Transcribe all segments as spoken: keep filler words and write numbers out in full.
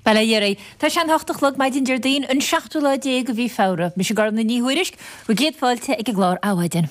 Bail ó Dhia oraibh. Tá sé an hocht a chlog maidin Déardaoin an seachtú lá déag de mhí Feabhra. Mise Gormfhlaith Ní Thuairisg, bhur gcéad fáilte ag an gclár Adhmhaidin.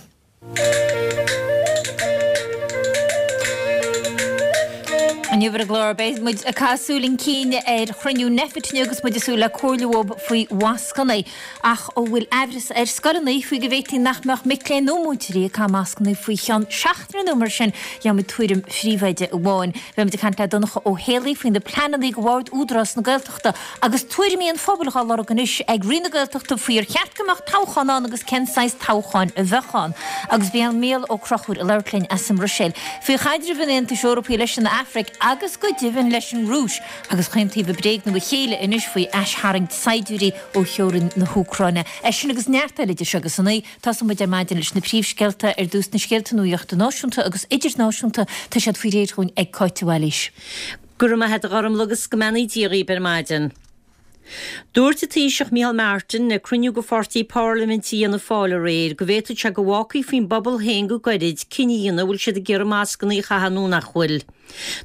Inniu ar an gclár beidh muid ag caitheamh súil chun cinn ar chruinniú Nphet inniu agus muid ag súil le comhairle uathu faoi mhascanna. Ach an bhfuil aimhreas ar scoileanna faoi go bhféadfaí nach mbeadh mic léinn nó múinteoirí ag caitheamh mascanna faoi cheann seachtaine nó mar sin, gheobhaimid tuairim phríomhoide amháin. Beidh muid ag caint le Donncha Ó Héalaí faoi na pleananna do Bhord Údarás na Gaeltachta agus tuairimí an phobail dhá lorg anois ag Roinn na Gaeltachta faoi ar cheart go mbeadh toghchán ann agus cén saghas toghcháin a bheadh ann. Agus beidh Mícheál Ó Conchúir ag labhairt linn as an mBruiséil faoi chaidreamh an Aontais Eorpaigh leis an Afraic agus go deimhin leis an Rúis agus chaon taobh ag bréagnú a chéile anois faoi aistharraingt saighdiúirí ó theorainn na hÚcráine. É sin agus neart eile idir seo agus a naoi. Tosóidh muid ar maidin leis na príomhscéalta. Ar dtús na scéalta nuachta náisiúnta agus idirnáisiúnta. Tá siad faoi réir dhúinn ag Cáit de Bhailís. Go raibh maith agat a Ghormfhlaith agus go mbeannaí Dia dhaoibh ar maidin. Dúirt an Taoiseach Micheál Martin ag cruinniú de pháirtí parlaiminte Fhianna Fáil aréir go bhféadfadh sé go bhfágfaí faoin bpobal féin go gairid cinneadh a dhéanamh an bhfuil siad ag iarraidh mascanna a chaitheamh nó nach bhfuil.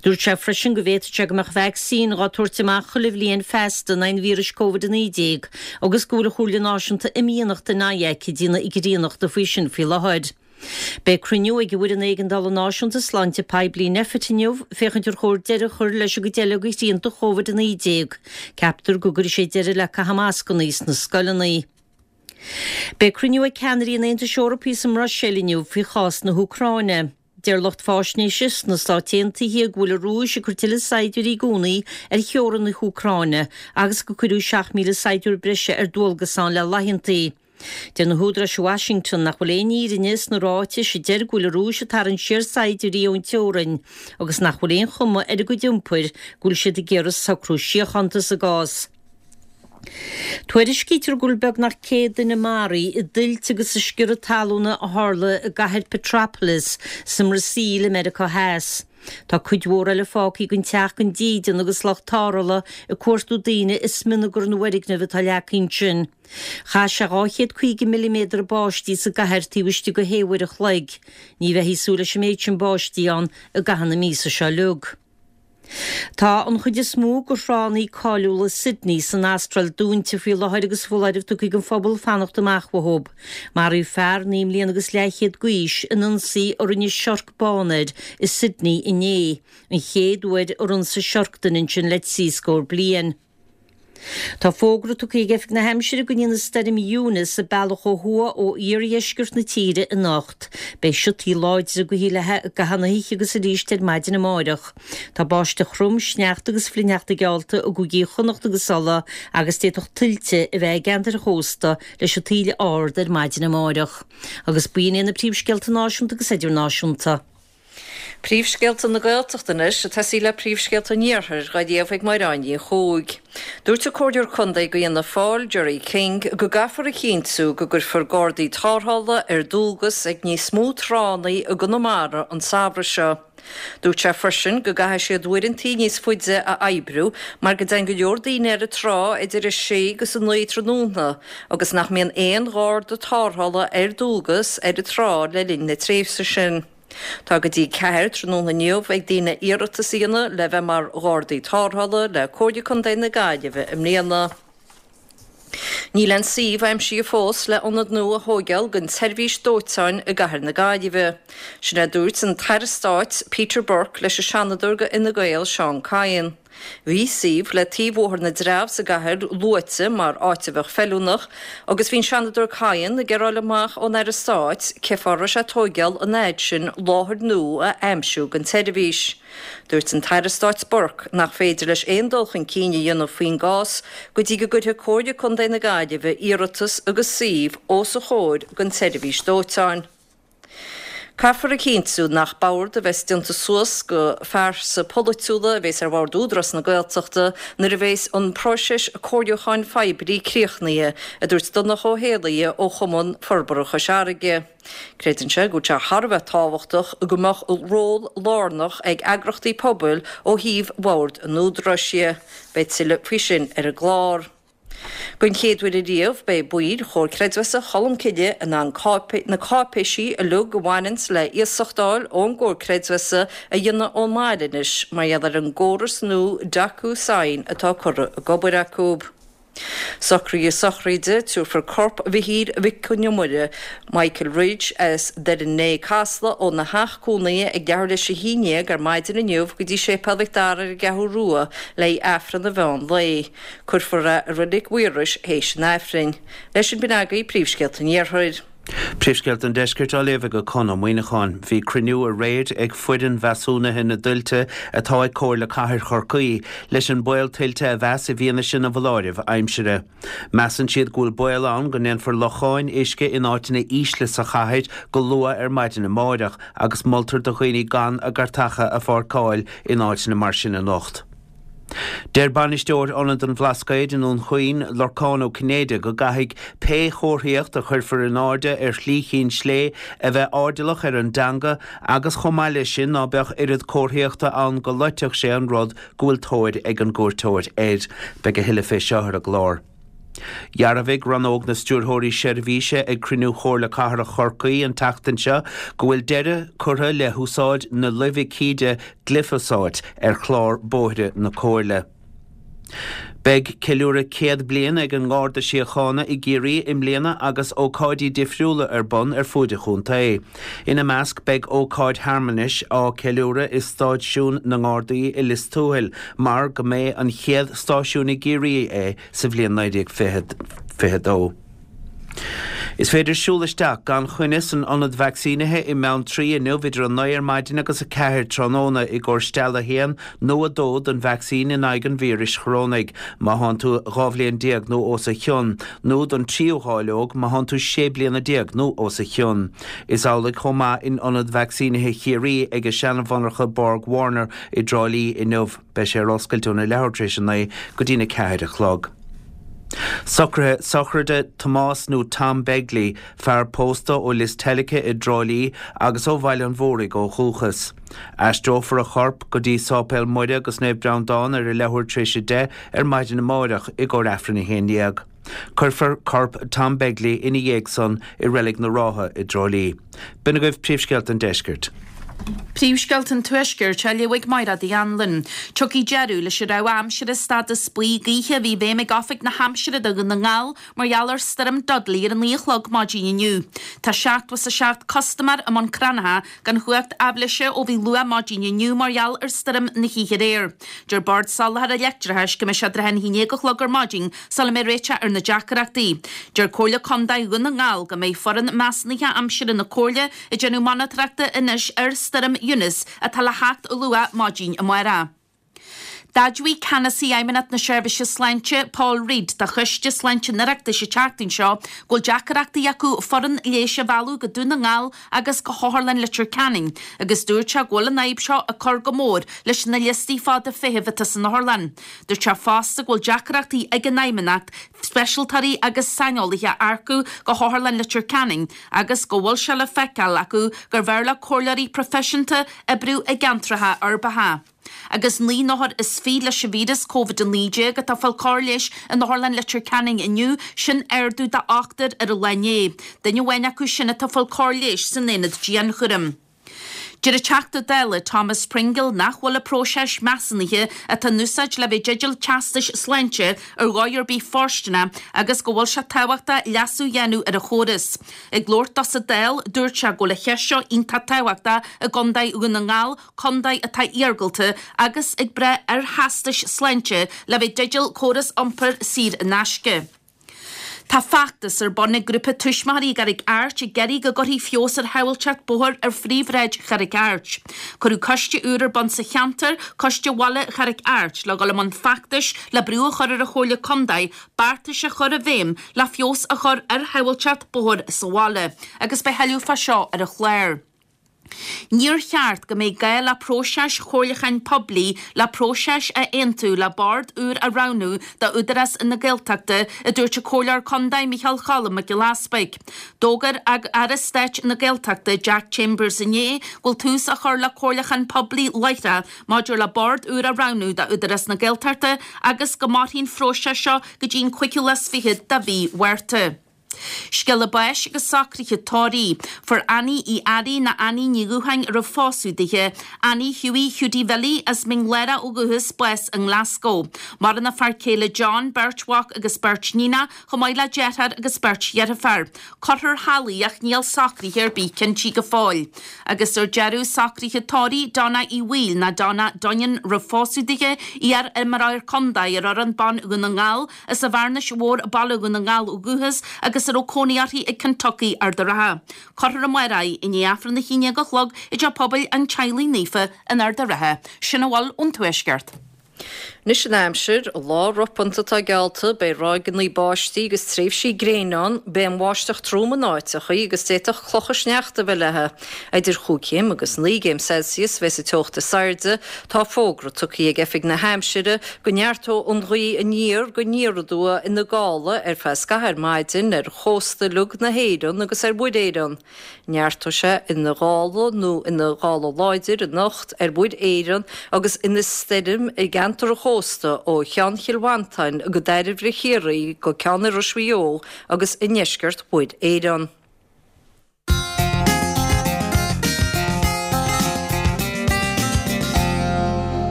Dúirt sé freisin go bhféadfadh sé go mbeadh vacsaín dhá tabhairt amach chuile bhliain feasta in aghaidh an víris Covid a naoi déag agus go bhfuil an Chomhairle Náisiúnta Imdhíonachta NIAC ag déanamh ag faoi sin faoi láthair. Beidh cruinniú ag an bhFoireann Éigeandála Náisiúnta Sláinte Poiblí Nphet inniu féachaint ar chóir deireadh a chur leis an gcuid eile de shrianta Chóvid a naoi déag. Ceaptar go gcuirfidh sé deireadh le caitheamh mascanna sna scoileanna. Beidh cruinniú ag ceannairí an Aontais Eorpaigh sa mBruiséil inniu faoi chás na hÚcráine. Deir lucht fáisnéise sna Stáit Aontaithe go bhfuil an Rúis ag cur tuilleadh saighdiúirí gúnaí ar theorainn na hÚcráine agus go cuireadh seacht míle saighdiúir breise ar dualgas ann le laethantaí. Deir na húdaráis i Washington nach bhfuil aon fhírinne sna ráitis a deir go bhfuil an Rúis ag tarraingt siar saighdiúirí ón teorainn agus nach bhfuil aon chuma ar a gcuid iompair go bhfuil siad ag iarraidh socrú síochánta sa gcás. Tuairiscítear go bhfuil beagnach céad duine maraithe i dtuilte agus i sciorradh talúna a tharla i gcathair Petropolis sa mBrasaíl i Meiriceá Theas. Tá cuid mhór eile fágtha gan teach gan dídean agus lucht tarrthála ag cuartú daoine i smionagar na bhfoirgneamh atá leagtha ansin. Chaith sé dhá chéad caoga milliméadar báistí sa gcathair taobh istigh de shé uair a chloig. Ní bheifí ag súil leis an méid sin báistí ann i gcaitheamh na míosa seo uilig. Tá an chuid is mó de thránna cáiliúla Sydney san Astráil dúnta faoi láthair agus foláireamh tugtha don phobal fanacht amach uathu. Maraíodh fear naoi mbliana agus leathchéad d'aois in ionsaí a rinne siorc bán air i Sydney inné, an chéad uair ar ionsaigh siorc duine ansin le trí scór bliain. Tá fógra tugtha ag Oifig na hAimsire go ndéanfaidh Stoirm Eunice a bealach ó thuaidh ó iardheisceart na tíre anocht. Beidh siotaí láidre ag rith i gcaitheamh na hoíche agus arís ar maidin amáireach. Tá báisteach throm, sneachta agus flichshneachta geallta i gcúigí Chonnacht agus Uladh agus d'fhéadfadh tuilte a bheith i gceantair chósta leis an taoille ard ar maidin amáireach. Agus b'in iad na príomhscéalta náisiúnta agus idirnáisiúnta. Príomhscéalta na Gaeltachta anois, ag tosaí le príomhscéalta an Iarthair, dhá léamh ag Máire Áine Ní Chuaig. Dúirt an Comhairleoir Contae do Fhianna Fáil, Gerry King, go gcaithfear a chinntiú go gcuirfear gardaí tarrthála ar dualgas ag níos mó tránna i gConamara an samhradh seo. Dúirt sé freisin go gcaithfidh siad uaireanta níos faide a oibriú mar go dtéann go leor daoine ar an trá idir a sé agus a naoi tráthnóna agus nach mbíonn aon gharda tarrthála ar dualgas ar an trá le linn na tréimhse sin. Tá go dtí ceathair tráthnóna inniu ag daoine iarratas a dhéanamh le bheith mar ghardaí tarrthála le Comhairle Contae na Gaillimhe i mbliana. Níl aon suíomh aimsithe fós le ionad nua a thóigeáil don tseirbhís dóiteáin i gcathair na Gaillimhe. Sin é a dúirt an tAire Stáit Peter Burke leis an Seanadóir do Fhine Gael Seán Kyne. Bhí suíomh le taobh Bhóthar na dTreabh sa gcathair luaite mar áit a bheadh feiliúnach agus bhí an Seanadóir Kyne ag iarraidh fháil amach ón Aire Stáit cé fáth a raibh sé ag tóigeáil an fhaid sin láthair nua a aimsiú don tseirbhís. Dúirt an tAire Stáit Burke nach féidir leis aon dul chun cinn a dhéanamh faoin gcás go dtí go gcuirfidh Comhairle Contae na Gaillimhe iarratas agus suíomh os a chomhair don tseirbhís dóiteáin. Caithfear a chinntiú nach bord a bheas déanta suas de phearsa polaitiúla a bheas ar bhord Údarás na Gaeltachta nuair a bheas an próiseas comhairliúcháin phoiblí críochnaithe, a dúirt Donncha Ó hÉallaithe ó Chumann Forbartha Chois Fharraige. Creideann sé go bhfuil sé thar a bheith tábhachtach go mbeadh ról lárnach ag eagrachtaí pobail ó thaobh bhord an Údaráis dhe. Beidh tuilleadh faoi sin ar an gclár. Don chéad uair ariamh beidh baill Chomhar Creidmheasa Cholmcille in ann na cáipéisí uilig a bhaineanns le iasacht a fháil ón gComhar Creidmheasa a dhéanamh ón mbaile anois mar gheall ar an gcóras nua DocuSign atá curtha ag obair acu. Socruithe sochraide, Tabharfar corp Mhichíl Mhic Con Iomaire, Michael Ridge, as Doire Né, Casla, óna theach cónaithe ag leathuair tar éis a haon déag ar maidin inniu go dtí Séipéal Mhic Dara ar an gCeathrú Rua le haghaidh Aifreann an mheán lae. Cuirfear é i Reilig Mhaorais théis an Aifrinn. Leis sin b'in agaibh príomhscéalta an Iarthair. Príomhscéalta an Deiscirt á léamh ag Conn Ó Muíneacháin. Bhí cruinniú aréir ag foireann mheasúnaithe na dtuilte atá ag Comhairle Cathair Chorcaí leis an baol tuilte a mheas i bhfianaise na bhfoláireamh aimsire. Measann siad go bhfuil baol ann go ndéanfar locháin uisce in áiteanna ísle sa chathair go luath ar maidin amáireach agus moltar do dhaoine gan a gcairteacha a pháirceáil in áiteanna mar sin anocht. Deir bainisteoir Ionad an Bhlascaoid i nDún Chaoin, Lorcán Ó Cinnéide, go gcaithfidh pé chomharthaíocht a chuirfear in airde ar Shlí Chinn Slé a bheith airdeallach ar an dteanga agus chomh maith leis sin ná beadh oiread comharthaíochta ann go loitfeadh sé an rud go bhfuil tóir ag an gcuairteoir air. Beidh a thuilleadh fé seo ar an gclár. Dhearbhaigh Rannóg na Stiúrthóirí Seirbhíse ag cruinniú Chomhairle Cathrach Chorcaí an tseachtain seo go bhfuil deireadh curtha le húsáid na luibhicíde gliofosáit ar chlár bóithre na Comhairle. Beidh ceiliúradh céad bliain ag an nGarda Síochána i gCiarraí i mbliana agus ócáidí difriúla ar bun ar fuaid an chontae. Ina measc beidh ócáid shearmanais á ceiliúradh i Stáisiún na nGardaí i Lios Tuathail mar go mb'é an chéad stáisiún i gCiarraí é sa bhliain naoi déag fiche a dó. Is féidir siúl isteach gan choinne san ionad vacsaínithe i mBeanntraí inniu idir a naoi ar maidin agus a ceathair tráthnóna i gcomhair steall a haon nó a dó den vacsaín in aghaidh an víris chorónaigh má thánn tú dhá bhliain déag nó os a chionn, nó don tríú dháileog má thánn tú sé bliana déag nó os a chionn. Is amhlaidh chomh maith in ionad vacsaínithe Chiarraí ag a seanmhonarcha Borg Warner i dTrá Lí inniu. Beidh sé ar oscailt óna leathuair tar éis a naoi go dtína ceathair a chlog. Socruithe sochraide Tomás nó Tom Begley, fear pósta ó Lios Teilgthe i dTrá Lí agus ó Bhaile an Mhúraigh ó dhúchas. Aistreofar a chorp go dtí Sáipéal Muire agus Naomh Breandán ar a leathuair tar éis a deich ar maidin amáireach i gcomhair Aifreann a haon déag. Cuirfear corp Tom Begley ina dhiaidh san i Reilig na Rátha i dTrá Lí. B'in agaibh príomhscéalta an deiscirt. Príomhscéalta an Tuaiscirt á léamh ag Máire Uí Anluain. Tiocfaidh deireadh leis an rabhadh aimsire stádas buí gaoithe a bhí i bhfeidhm ag Oifig na hAimsire do Dhún na nGall mar gheall ar Stoirm Dudley ar a naoi a chlog maidin inniu. Tá seachtó is a seacht custaiméir i mbun Cranncha gan chumhacht aibhléise ó bhí luath maidin inniu mar gheall ar stoirm na hoíche aréir. Deir Bord Soláthair Leictreachais go mbeidh sé trátha an haon déag a chlog ar maidin sula mbeidh réiteach ar na deacrachtaí. Deir Comhairle Contae Dhún na nGall go mbeidh foireann measúnaithe aimsire na Comhairle ag déanamh monatóireachta anois ar Stoirm Eunice atá le theacht luath maidin amárach. D'admhaigh Ceannasaí Fheidhmeannacht na Seirbhíse Sláinte, Paul Reid, do Choiste Sláinte an Oireachtais an tseachtain seo go bhfuil deacrachtaí acu foireann leighis a mhealladh go Dún na nGall agus go hOtharlann Leitir Ceanainn agus dúirt sé go bhfuil an fhadhb seo ag cur go mór leis na liostaí fada feithimh atá san otharlann. Dúirt sé fosta go bhfuil deacrachtaí ag an Fheidhmeannacht speisialtóirí agus saineolaithe a earcú go hOtharlann Leitir Ceanainn agus go bhfuil sé le feiceáil acu gurbh fhearr le comhairleoirí proifisiúnta oibriú i gceantracha uirbeacha. Agus naoi n-othar is fiche leis an víreas Covid a naoi déag atá ag fáil cóir leighis in Otharlann Leitir Ceanainn inniu, sin ardú de ochtar ar an lá inné. Duine amháin acu sin atá ag fáil cóir leighis san aonad dianchúraim. Deir an Teachta Dála Thomas Pringle nach bhfuil an próiseas measúnaithe atá in úsáid le bheith i dteideal teastais sláinte ar dhóigh ar bith fóirsteanach agus go bhfuil sé tábhachtach leasú a dhéanamh ar an chóras. Ag labhairt dó sa Dáil, dúirt sé go bhfuil an cheist seo iontach tábhachtach i gContae Dhún na nGall, contae atá iargúlta agus ag brath ar theastais sláinte le bheith i dteideal córas iompair saor in aisce. Tá feachtas ar bun ag grúpa tuismitheoirí i gCarraig Airt ag iarraidh go gcuirfí feabhas ar shábháilteacht bóthair ar phríomhshráid Charraig Airt. Cuireadh coiste úr ar bun sa cheantar, Coiste Bhaile Charraig Airt, le dhul i mbun feachtais le brú a chur ar an Chomhairle Contae beartais a chur i bhfeidhm le feabhas a chur ar shábháilteacht bóthair sa bhaile. Agus beidh thuilleadh fá seo ar an chlár. Níor cheart go mbeidh gá le próiseas comhairliúcháin poiblí le próiseas a aontú le bord úr a roghnú d'Údarás na Gaeltachta, a dúirt an Comhairleoir Contae Micheál Cholm Mac Giolla Easpaig. D'fhógair Aire Stáit na Gaeltachta Jack Chambers inné go bhfuil tús á chur le comhairliúchán poiblí láithreach maidir le bord úr a roghnú d'Údarás na Gaeltachta agus go mairfidh an phróiseas seo go dtí an cúigiú lá is fiche de mhí Mhárta. Scéala báis agus socruithe tórraimh. Fuair Annie Uí Fhearraigh nó Annie Ní Dhúcháin a raibh phósadh dithe, Annie Hughie Hiúdaí Bhilly as Mín Lárach ó dhúchas, bás i nGlasgow. Maireann a fear céile John, beirt mhac agus beirt níonach, chomh maith le deartháir agus beirt dheirfiúr. Cuirfear thall í ach níl socruithe ar bith cinntí go fóill. Agus ar deireadh socruithe tórraimh Donna Uí Bhaoill nó Donna Doineann roimh phósadh dithe, iar-imreoir contae ar fhoireann ban Dhún na nGall, as an Bhearnais Mhór, Baile Dhún na nGall ó dhúchas, agus a raibh cónaí uirthi i Kentucky, Ard a' Rátha. Cuirfear amárach í i ndiaidh Aifreann a haon déag a chlog i dTeach Pobail an Teaghlaigh Naofa in Ard a' Rátha. Sin a bhfuil ón Tuaisceart. Anois an aimsir, lá ropanta atá geallta, beidh ráigeanna báistí agus tréimhsí gréine ann, beidh an bháisteach trom in áiteachaí agus d'fhéadfadh clocha sneachta a bheith léi. Idir chúig chéim agus naoi gcéim Celsius a bheas an teocht is airde. Tá fógra tugtha ag Oifig na hAimsire go neartóidh an ghaoth aniar go aniar aduaidh ina gála ar feadh scaitheamh ar maidin ar chósta uilig na hÉireann agus ar Mhuir Éireann. Neartóidh sé ina ghála nó ina ghála láidir anocht ar Mhuir Éireann agus ina stoirm i gceantar an chósta ó Cheann Chill Mhantáin go Dairbhre Chiarraí go Ceann Iorrais Mhaigh Eo agus i ndeisceart Mhuir Éireann.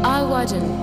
Adhmhaidin.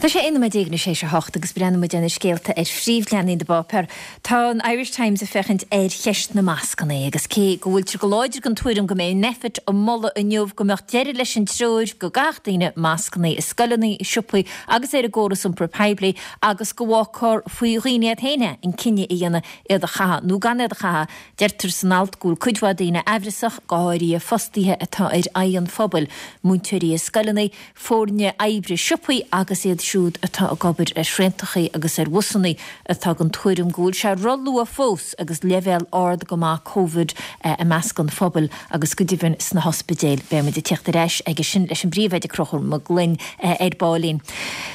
Tá sé aon nóiméad déag anois théis a hocht agus breathnóidh muid ar na scéalta ar phríomhleathanaigh na bpáipéar. Tá an Irish Times ag féachaint ar cheist na mascanna agus cé go bhfuiltear go láidir den tuairim go mbeidh Nphet ag moladh inniu go mbeadh deireadh leis an treoir go gcaithfeadh daoine mascanna i scoileanna, i siopaí agus ar an gcóras iompair poiblí agus go bhfágfar faoi dhaoine iad féin é an cinneadh a dhéanamh iad a chaitheamh nó gan iad a chaitheamh. Deirtear san alt go bhfuil cuid mhaith daoine aimhreasach, go háirithe fostaithe atá ar aghaidh an phobail, múinteoirí i scoileanna, foirne oibre siopaí agus iad siúd atá ag obair ar thraentachaí agus ar bhusanna atá den tuairim go bhfuil sé ró-luath fós agus leibhéal ard go maith Covid i measc an phobail agus go deimhin sna hospidéil. Beidh muid ag teacht ar ais aige sin leis an bPríomhoide Conchúr Mac Gloinn ar baillín.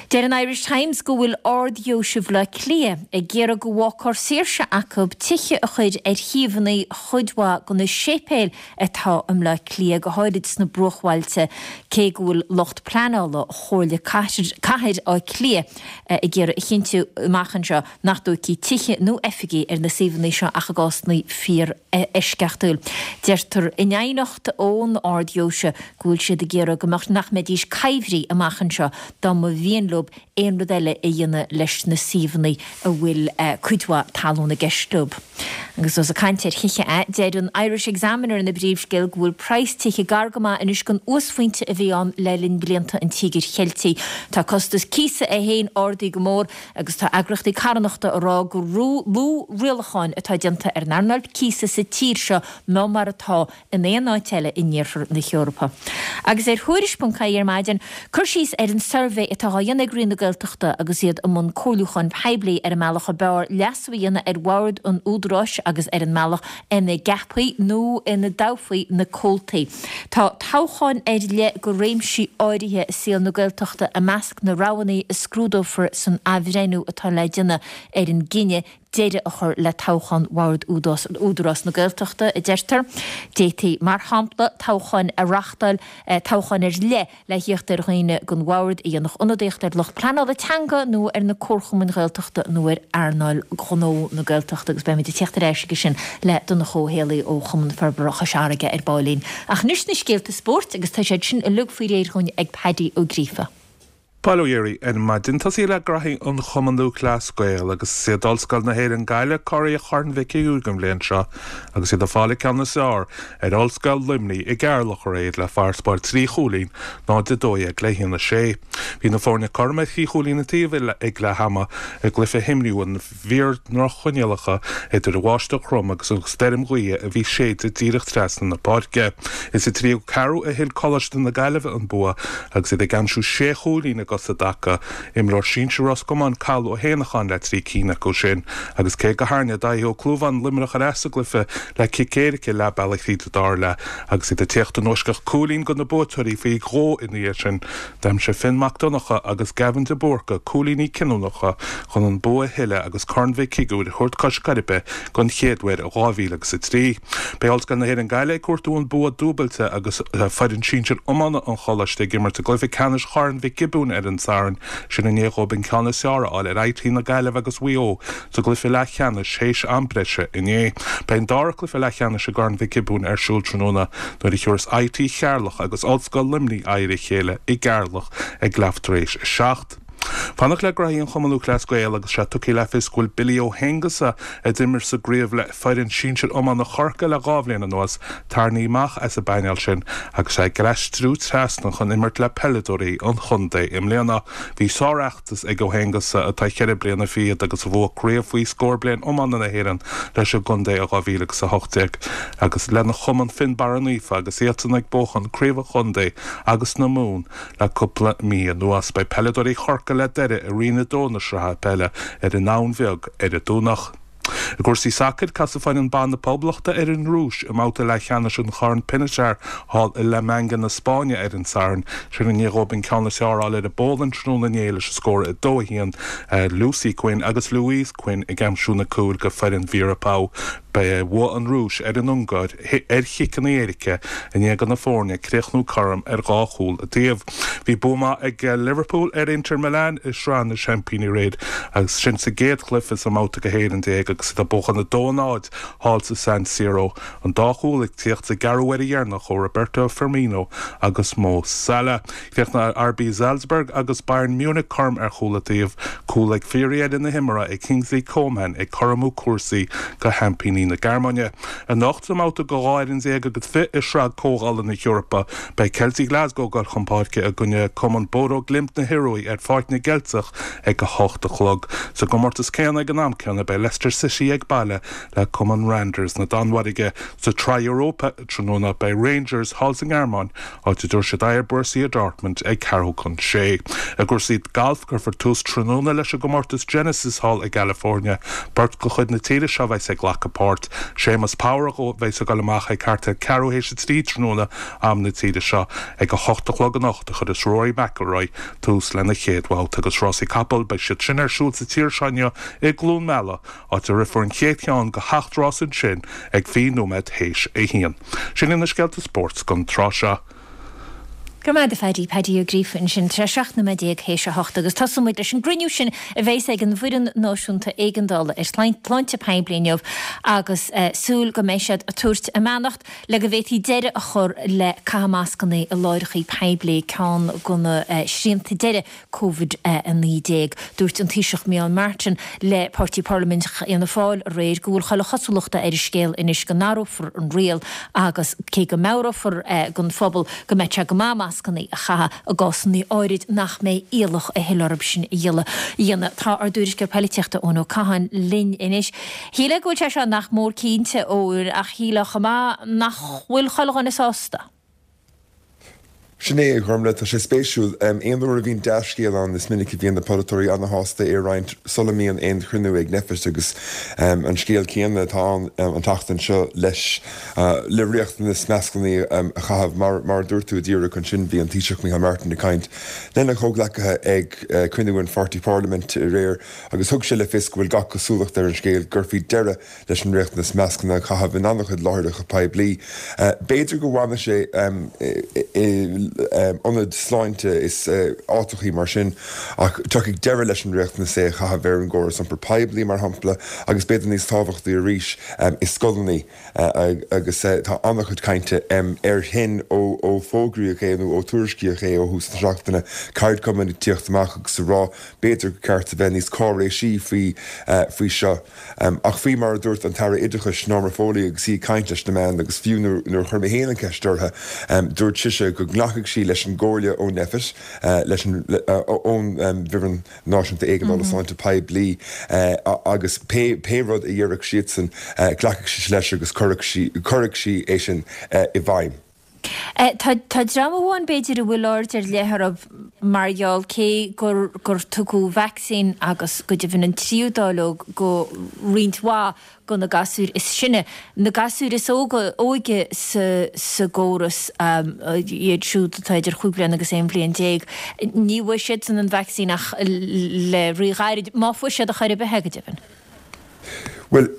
Deir an Irish Times go bhfuil Ard-Dheoise Bhaile Átha Cliath ag iarraidh go bhfágfar saoirse acu tithe a chur ar shuíomhanna chuid mhaith de na séipéil atá i mBleá Cliath, go háirid sna bruachbhailte, cé go bhfuil lucht pleanála Chomhairle Cathair Átha Cliath ag iarraidh a chinntiú amach anseo nach dtógfaí tithe nó oifigí ar na suíomhanna seo ach i gcásanna fíor-eisceachtúil. Deirtear in aighneacht ón Ard-Dheoise go bhfuil siad ag iarraidh go mbeadh nach mbeidís coimhthí amach anseo dá mba mhian leo aon rud eile a dhéanamh leis na suíomhanna a bhfuil cuid mhaith talún i gceist leo. Agus ós ag caint ar thithe é, deir an Irish Examiner ina bpríomhscéal go bhfuil praghas tithe gar go maith anois don uasphointe a bhí ann le linn blianta an Tíogair Cheiltigh. Tá costas cíosa é féin ardaithe go mór agus tá eagraíochtaí carthanachta ag rá gur lú rialacháin atá déanta ar an earnáil cíosa sa tír seo ná mar atá in aon áit eile in iarthar na hEorpa. Agus ar Thuairisc ponc ie ar maidin, cur síos ar an suirbhé atá á dhéanamh ag Roinn na Gaeltachta agus iad i mbun comhairliúcháin poiblí ar an mbealach ab fhearr leasú a dhéanamh ar bhord an Údaráis agus ar an mbealach ina gceapfaí nó ina dtoghfaí na comhaltaí. Tá toghcháin ar leith do réimsí áirithe i saol na Gaeltachta i measc na roghanna a scrúdófar san athbhreithniú atá le déanamh ar an gcinneadh deireadh a chur le toghchán Bhord Údarás na Gaeltachta, a deirtear. D'fhéadfaí, mar shampla, toghcháin a reáchtáil, toghcháin ar leith le thíocht ar dhaoine don bhord a dhéanfadh ionadaíocht ar lucht pleanála teanga nó ar na comharchumainn Ghaeltachta nó ar earnáil ghnó na Gaeltachta agus beimid ag tíocht ar ais aige sin le Donncha Ó Héalaí ó Chumann Forbartha Chois Fharraige ar baillín. Ach anois na scéalta spóirt agus tá siad sin uilig faoi réir dhúinn ag Paddy Ó Gríofa. Bail ó Dhia oraibh ar maidin. Tosaí le graithí an Chumann Lúthchleas Gael agus is iad Ollscoil na hÉireann Gaillimh curaidh Chorn Mhic Uidhir an bhliain seo agus iad ag fáil an ceann is fearr ar Ollscoil Luimnigh i gCeatharlach aréir le farasbarr trí chúilín, náid a dó dhéag le haon a sé. Bhí na foirne cothrom ar thrí chúilín an taobh ag leath ama i gcluiche a himríodh in bhfíor-dhroch-choinníollacha idir an bháisteach throm agus an stoirm ghaoithe a bhí ag séideadh díreach trasna na páirce. Is sa tríú ceathrú a thuill Coláiste na Gaillimhe an bua agus iad ag aimsiú sé chúilín i déag sa dtaca, imreoir sinsir Ros Comáin Cathal Ó hÉanacháin le trí cinn acu sin, agus cé go ndearna Dáithí Ó Clúmháin Luimneach ar ais sa gcluiche le cic éirice leath bealaigh tríd an dara leath agus iad ag tíocht anuas go cúilín do na buaiteoirí faoi dhó ina dhiaidh sin, d'aimsigh Finn Mac Donncha agus Gavin de Búrca cúilíní cinniúnacha chun an bua a thuilleadh agus Corn Mhic Shigiúir a thabhairt cois Coiribe don chéad uair ó dhá mhíle agus a trí. Beidh Ollscoil na hÉireann Gaillimh ag cuartú an bua dúbailte agus foireann sinsir iomána an choláiste ag imirt i gcluiche ceannais Chorn Mhic Giobúin ar an Satharn, sin i ndiaidh dóibh an ceann is fearr a fháil ar I T na Gaillimhe agus Mhaigh Eo sa gcluiche leathcheannais théis am breise inné. Beidh an dara cluiche leathcheannais i gCorn Mhic Giobúin ar siúl tráthnóna nuair a thiúrfas I T Cheatharlach agus Ollscoil Luimnigh aghaidh ar a chéile i gCeatharlach ag leath tar éis a seacht. Fanacht le graithí an Chumann Lúthchleas Gael agus sé tugtha le fios go bhfuil Billy Ó hAonghusa, a d'imir sa gcraobh le foireann sinsir iomána Chorcaí le dhá bhliain anuas, tarraingthe amach as an bpainéal sin agus é ag aistriú trasna chun imirt le peileadóirí an chontae i mbliana. Bhí sárfheachtas ag Ó hAonghusa, atá ceithre bliana fichead agus a bhuaigh craobh faoi scór bliain iomána na hÉireann leis an gcontae i dhá mhíle agus a hocht déag agus lena chumann Fionnbarra Naofa agus iadsan ag buachan craobh an chontae agus na Mumhan le cúpla mí anuas. Beidh peileadóirí Chorcaí le Doire i Roinn a Dó na Sraithe Peile ar an Abhainn Bheag ar an Domhnach. I gcúrsaí sacair, casfaidh foireann ban na Poblachta ar an Rúis i mbabhta leathcheannais an Chorn Pinatar thall i La Manga na Spáinne ar an Satharn. Sin i ndiaidh dóibh an ceann is fearr a fháil ar an bPólainn tráthnóna inné leis an scór a dó a haon, Lucy Quinn agus Louise Quinn ag aimsiú na cúil go foireann Vera Pauw. Bhuaigh an Rúis ar an Ungáir ar chiceanna éirice i ndiaidh do na foirne críochnú cothrom ar dhá chúl an taobh. Bhí bua maith ag Liverpool ar Inter Milan i Sraith na Seaimpíní aréir agus sin sa gcéad chluiche sa mbabhta go haon déag agus iad ag buachan a dó a náid thall sa San Siro, an dá chúl ag tíocht sa gceathrú uaire dheireanach ó Roberto Firmino agus Mo Salah. Chríochnaigh R B Salzburg agus Bayern Munich cothrom ar chúl an taobh, cúl ag fíordheireadh na himeartha ag Kingsley Coman ag cothromú cúrsaí go sheaimpíní na Gearmáine. Anocht sa mbabhta go dhá fhoireann déag agus fiche i Sraith Comhdhála na hEorpa, beidh Celtic Glasgow ag dul chun páirce i gcoinne Cumann Bodo Glimt na hIorua ar Pháirc na gCeilteach ag a hocht a chlog. Sa gcomórtas céanna ag an am céanna beidh Leicester City ag baile le Cumann Randers na Danmhairge. Sa tSraith Europa tráthnóna beidh Rangers thall sa nGearmáin, áit a dtabharfaidh siad aghaidh ar Borussia Dortmund ag ceathrú chun sé. I gcúrsaí gailf cuirfear tús tráthnóna leis an gcomórtas Genesis thall i gCalifornia. Beirt de chuid na tíre seo a bheas ag glacadh páirt. Séamus Power a bheas ag dul amach ag thart ar ceathrú théis a trí tráthnóna am na tíre seo. Ag a hocht a chlog anocht a chuirfeas Rory McIlroy tús lena chéad bhabhta agus rásaí capall beidh siad sin ar siúl sa tír seo inniu i gCluain Meala, áit a rithfear an chéad cheann de sheacht rás ansin ag fiche nóiméad théis a haon. Sin na scéalta spóirt don tráth seo. Go maith a Phaddy Paddy Ó Gríofa ansin tar seacht nóiméad déag théis a hocht agus tosóidh muid leis an gcruinniú sin a bheas ag an bhfoireann náisiúnta éigeandála ar shláinte poiblí inniu agus uh, súil go mbeidh siad ag tabhairt a mbeannacht le go bhféadfaí deireadh a chur le caitheamh mascanna i láithreacha poiblí ceann de na uh, srianta deiridh Covid a naoi déag. Dúirt an Taoiseach Micheál Martin le Páirtí Parlaiminteach Fhianna Fáil aréir go bhfuil chuile chosúlacht ar an scéal anois go n-athrófar an riail agus cé go meabhrófar uh, don phobal go mbeidh sé go maith mascanna a chaitheamh i gcásanna áirid nach mbeidh iallach a thuilleadh sin a dhéanamh. Tá ár dtuairisceoir polaitíochta Eoin Ó Catháin linn anois. Shílfeá go bhfuil sé seo nach mór cinnte ó ach shílfeá chomh maith nach bhfuil chuile dhuine sásta. Sin é Gormfhlaith, tá sé spéisiúil aon uair a bhíonn dea-scéal ann is minic a bhíonn na polaiteoirí an-shásta é a roinnt sula mbíonn aon chruinniú ag Nphet agus um, an scéal céanna atá an um, an tseachtain seo leis uh, le riachtanas mascanna um, a chaitheamh mar, mar dúirt tú díreach ansin bhí an Taoiseach Micheál Martin ag caint lena chomhghleacaithe ag uh, cruinniú an pháirtí parlaiminte aréir agus thug sé le fios go bhfuil gach cosúlacht ar an scéal go gcuirfí deireadh leis an riachtanas mascanna a chaitheamh in an-chuid láithreacha poiblí. Uh, B'fhéidir go bhfanfaidh sé um, i, um, ionaid sláinte is uh, áiteachaí mar sin ach tiocfaidh deireadh leis an riachtanas é a chaitheamh ar an gcóras iompar poiblí mar shampla agus b'fhéidir níos tábhachtaí arís um, i scoileanna uh, agus uh, tá an-chuid cainte um, ar shin ó, ó fógraíodh é nó ó tuairiscíodh é ó thús na seachtaine ceardchumainn ag tíocht amach agus ag rá b'fhéidir gur ceart a bheith níos cáiréisí faoi uh, faoi seo. Um, ach faoi mar a dúirt an tAire Oideachais Norma Foley agus í ag caint leis na meáin agus fiú nuair a chuir mé féin an cheist uirthi um, dúirt sise go nglacfadh sí leis an gcomhairle ó Nphet uh, leis an uh, ón um, bhfoireann náisiúnta éigeandála mm -hmm. sláinte poiblí uh, agus pé, pé rud a dhéarfadh siadsan uh, glacfadh sí leis agus cuirfidh sí é sin uh, i bhfeidhm. Tá tá dream amháin b'fhéidir a bhfuil aird ar leith orthu mar gheall cé gur gur tugadh vacsaín agus go deimhin an tríú dáileog go roinnt mhaith go na gasúir is sine, na gasúir is óga óige sa sa gcóras iad siúd atá idir chúig bliana agus aon bhliain déag, ní bhfuair siadsan an vacsaín ach le ríghairid, má fuair siad ar chor ar bith é go deimhin. Bhuel,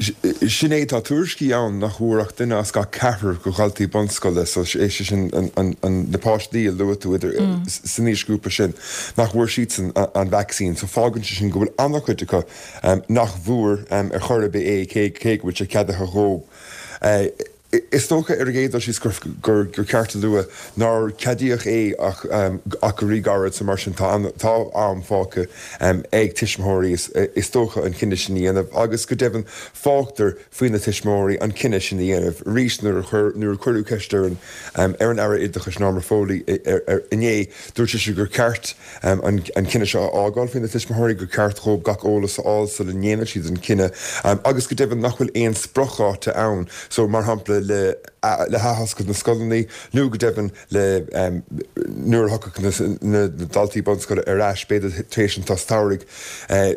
sin é, tá tuairiscí ann nach bhfuair ach duine as gach ceathrar de dhaltaí bunscoile, so é sin na páistí a luaigh tú idir san aoisghrúpa sin, nach bhfuair siadsan an vacsaín. So fágann sé sin go bhfuil an-chuid acu nach bhfuair ar chor ar bith é, cé go bhfuil sé ceadaithe dhóibh. Is dócha ar an gcéad dul síos gur ceart a lua nár ceadaíodh é ach ach go ríghairid so mar sin tá tá am fágtha ag tuismitheoirí is dócha an cinneadh sin a dhéanamh agus go deimhin fágtar faoi na tuismitheoirí an cinneadh sin a dhéanamh. Arís nuair a chuir nuair a cuireadh ceist ar an ar an Aire Oideachais Norma Foley inné dúirt sise gur ceart an cinneadh seo a fhágáil faoi na tuismitheoirí, gur ceart dhóibh gach eolas a fháil sula ndéanann siad an cinneadh agus go deimhin nach bhfuil aon spriocdháta ann so mar shampla le le hathoscailt na scoileanna nó go deimhin le nuair a thiocfadh na daltaí bunscoile ar ais b'fhéidir tar éis an tsos samhraidh.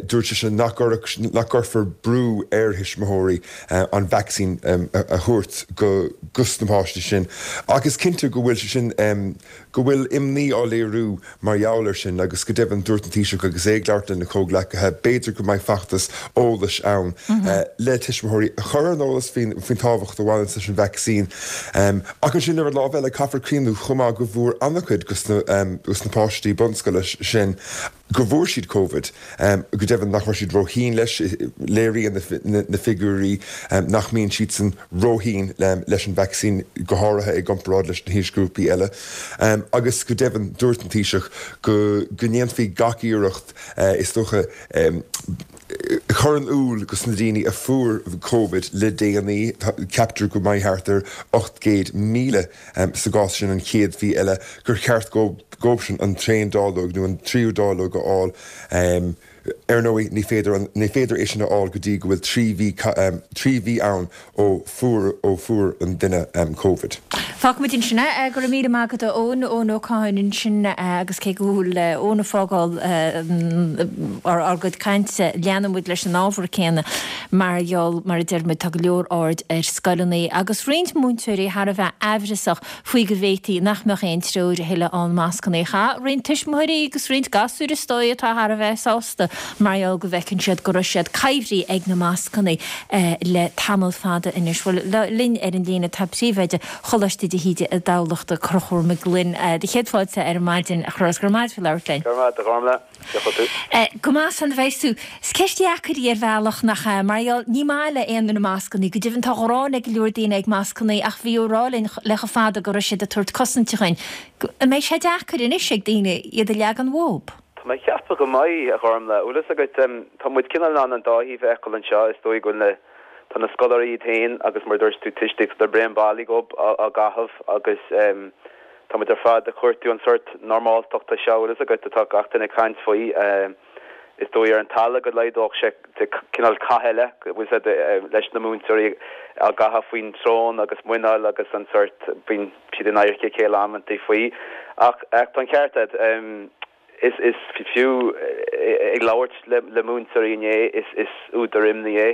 Dúirt sise nach nach gcuirfear brú ar thuismitheoirí an vacsaín a thabhairt go gus na páistí sin. Ach is cinnte go bhfuil sé sin go bhfuil imní á léiriú mar gheall air sin agus go deimhin dúirt an Taoiseach agus é ag labhairt lena chomhghleacaithe, b'fhéidir go mbeidh feachtas eolais ann le tuismitheoirí a chur ar an eolas faoin tábhacht a bhaineann leis an vacsaín. Ach ansin ar an lámh eile caithfear cuimhniú chomh maith go bhfuair an-chuid dos na páistí bunscoile sin go bhfuair siad Covid, go deimhin nach raibh siad róthinn leis, léiríonn na figiúirí nach mbíonn siadsan róthinn leis an vacsaín, go háirithe i gcomparáid leis na haoisghrúpaí eile. Agus go deimhin dúirt an Taoiseach go go ndéanfaí gach iarracht is dócha chur in iúl dos na daoine a fuair Covid le déanaí, ceaptar go mbeidh thart ar ocht gcéad míle sa gcás sin an chéad mhí eile, gur cheart dhóibh sin an t-aon dáileog nó an tríú dáileog a fháil. Ar ndóigh, ní féidir ní féidir é sin a fháil go dtí go bhfuil trí mhí trí mhí ann ó fuair ó fuair an duine Covid. Fágfaimid ansin é. Go raibh míle maith agat a Eoin, Eoin Ó Catháin ansin agus cé go bhfuil Eoin ag fágáil ár gcuid cainte, leanann muid leis an ábhar céanna mar gheall, mar a deir muid, tá go leor aird ar scoileanna agus roinnt múinteoirí thar a bheith aimhreasach faoi go bhféadfaí nach mbeadh aon treoir a thuilleadh ann mascanna a chaitheamh. Roinnt tuismitheoirí agus roinnt gasúir is dóigh atá thar a bheith sásta mar gheall go bhfeiceann siad go raibh siad coimhthí ag na mascanna le tamall fada anois. Bhuel, linn ar an líne tá príomhoide Choláiste de hÍde i dTamhlacht, Conchúr Mac Gloinn. Do chéad fáilte ar maidin, a Chonchúir, go raibh maith agat faoi labhairt linn. Go raibh maith agat, a Ghormfhlaith. Cén chaoi a bhfuil tú? Go maith, san bheidh tú. Is ceist dheacair í ar bhealach, nach ea? Mar gheall, ní maith le aon duine mascanna. Go deimhin tá gráin ag go leor daoine ag mascanna ach bhí á rá linn le chomh fada go raibh siad ag tabhairt cosainte dhuinn. An mbeidh sé deacair anois ag daoine iad a leagan uathu? Tá mé ag ceapadh go mbeidh, a Ghormfhlaith. Bhfuil fhios agat, tá muid cineál in ann an dá thaobh a fheiceáil anseo. Is dóigh go bhfuil na, tá na scoláirí iad féin agus mar a dúirt tú, tuistí, tá braon bailí dhóibh á gcaitheamh agus tá muid ar fad ag cuartú an sórt normáltachta seo, bhfuil fhios agat, atá gach duine ag caint faoi. Is dóigh ar an talamh go laghdódh sé cineál cath eile, bhfuil fhios agat, leis na múinteoirí á gcaitheamh faoin tsrón agus muineál agus an sórt, bíonn siad in adharca a chéile amantaí faoi. Ach tá an ceart agat. Is is fiú ag labhairt le le múinteoirí inné, is is údar imní é.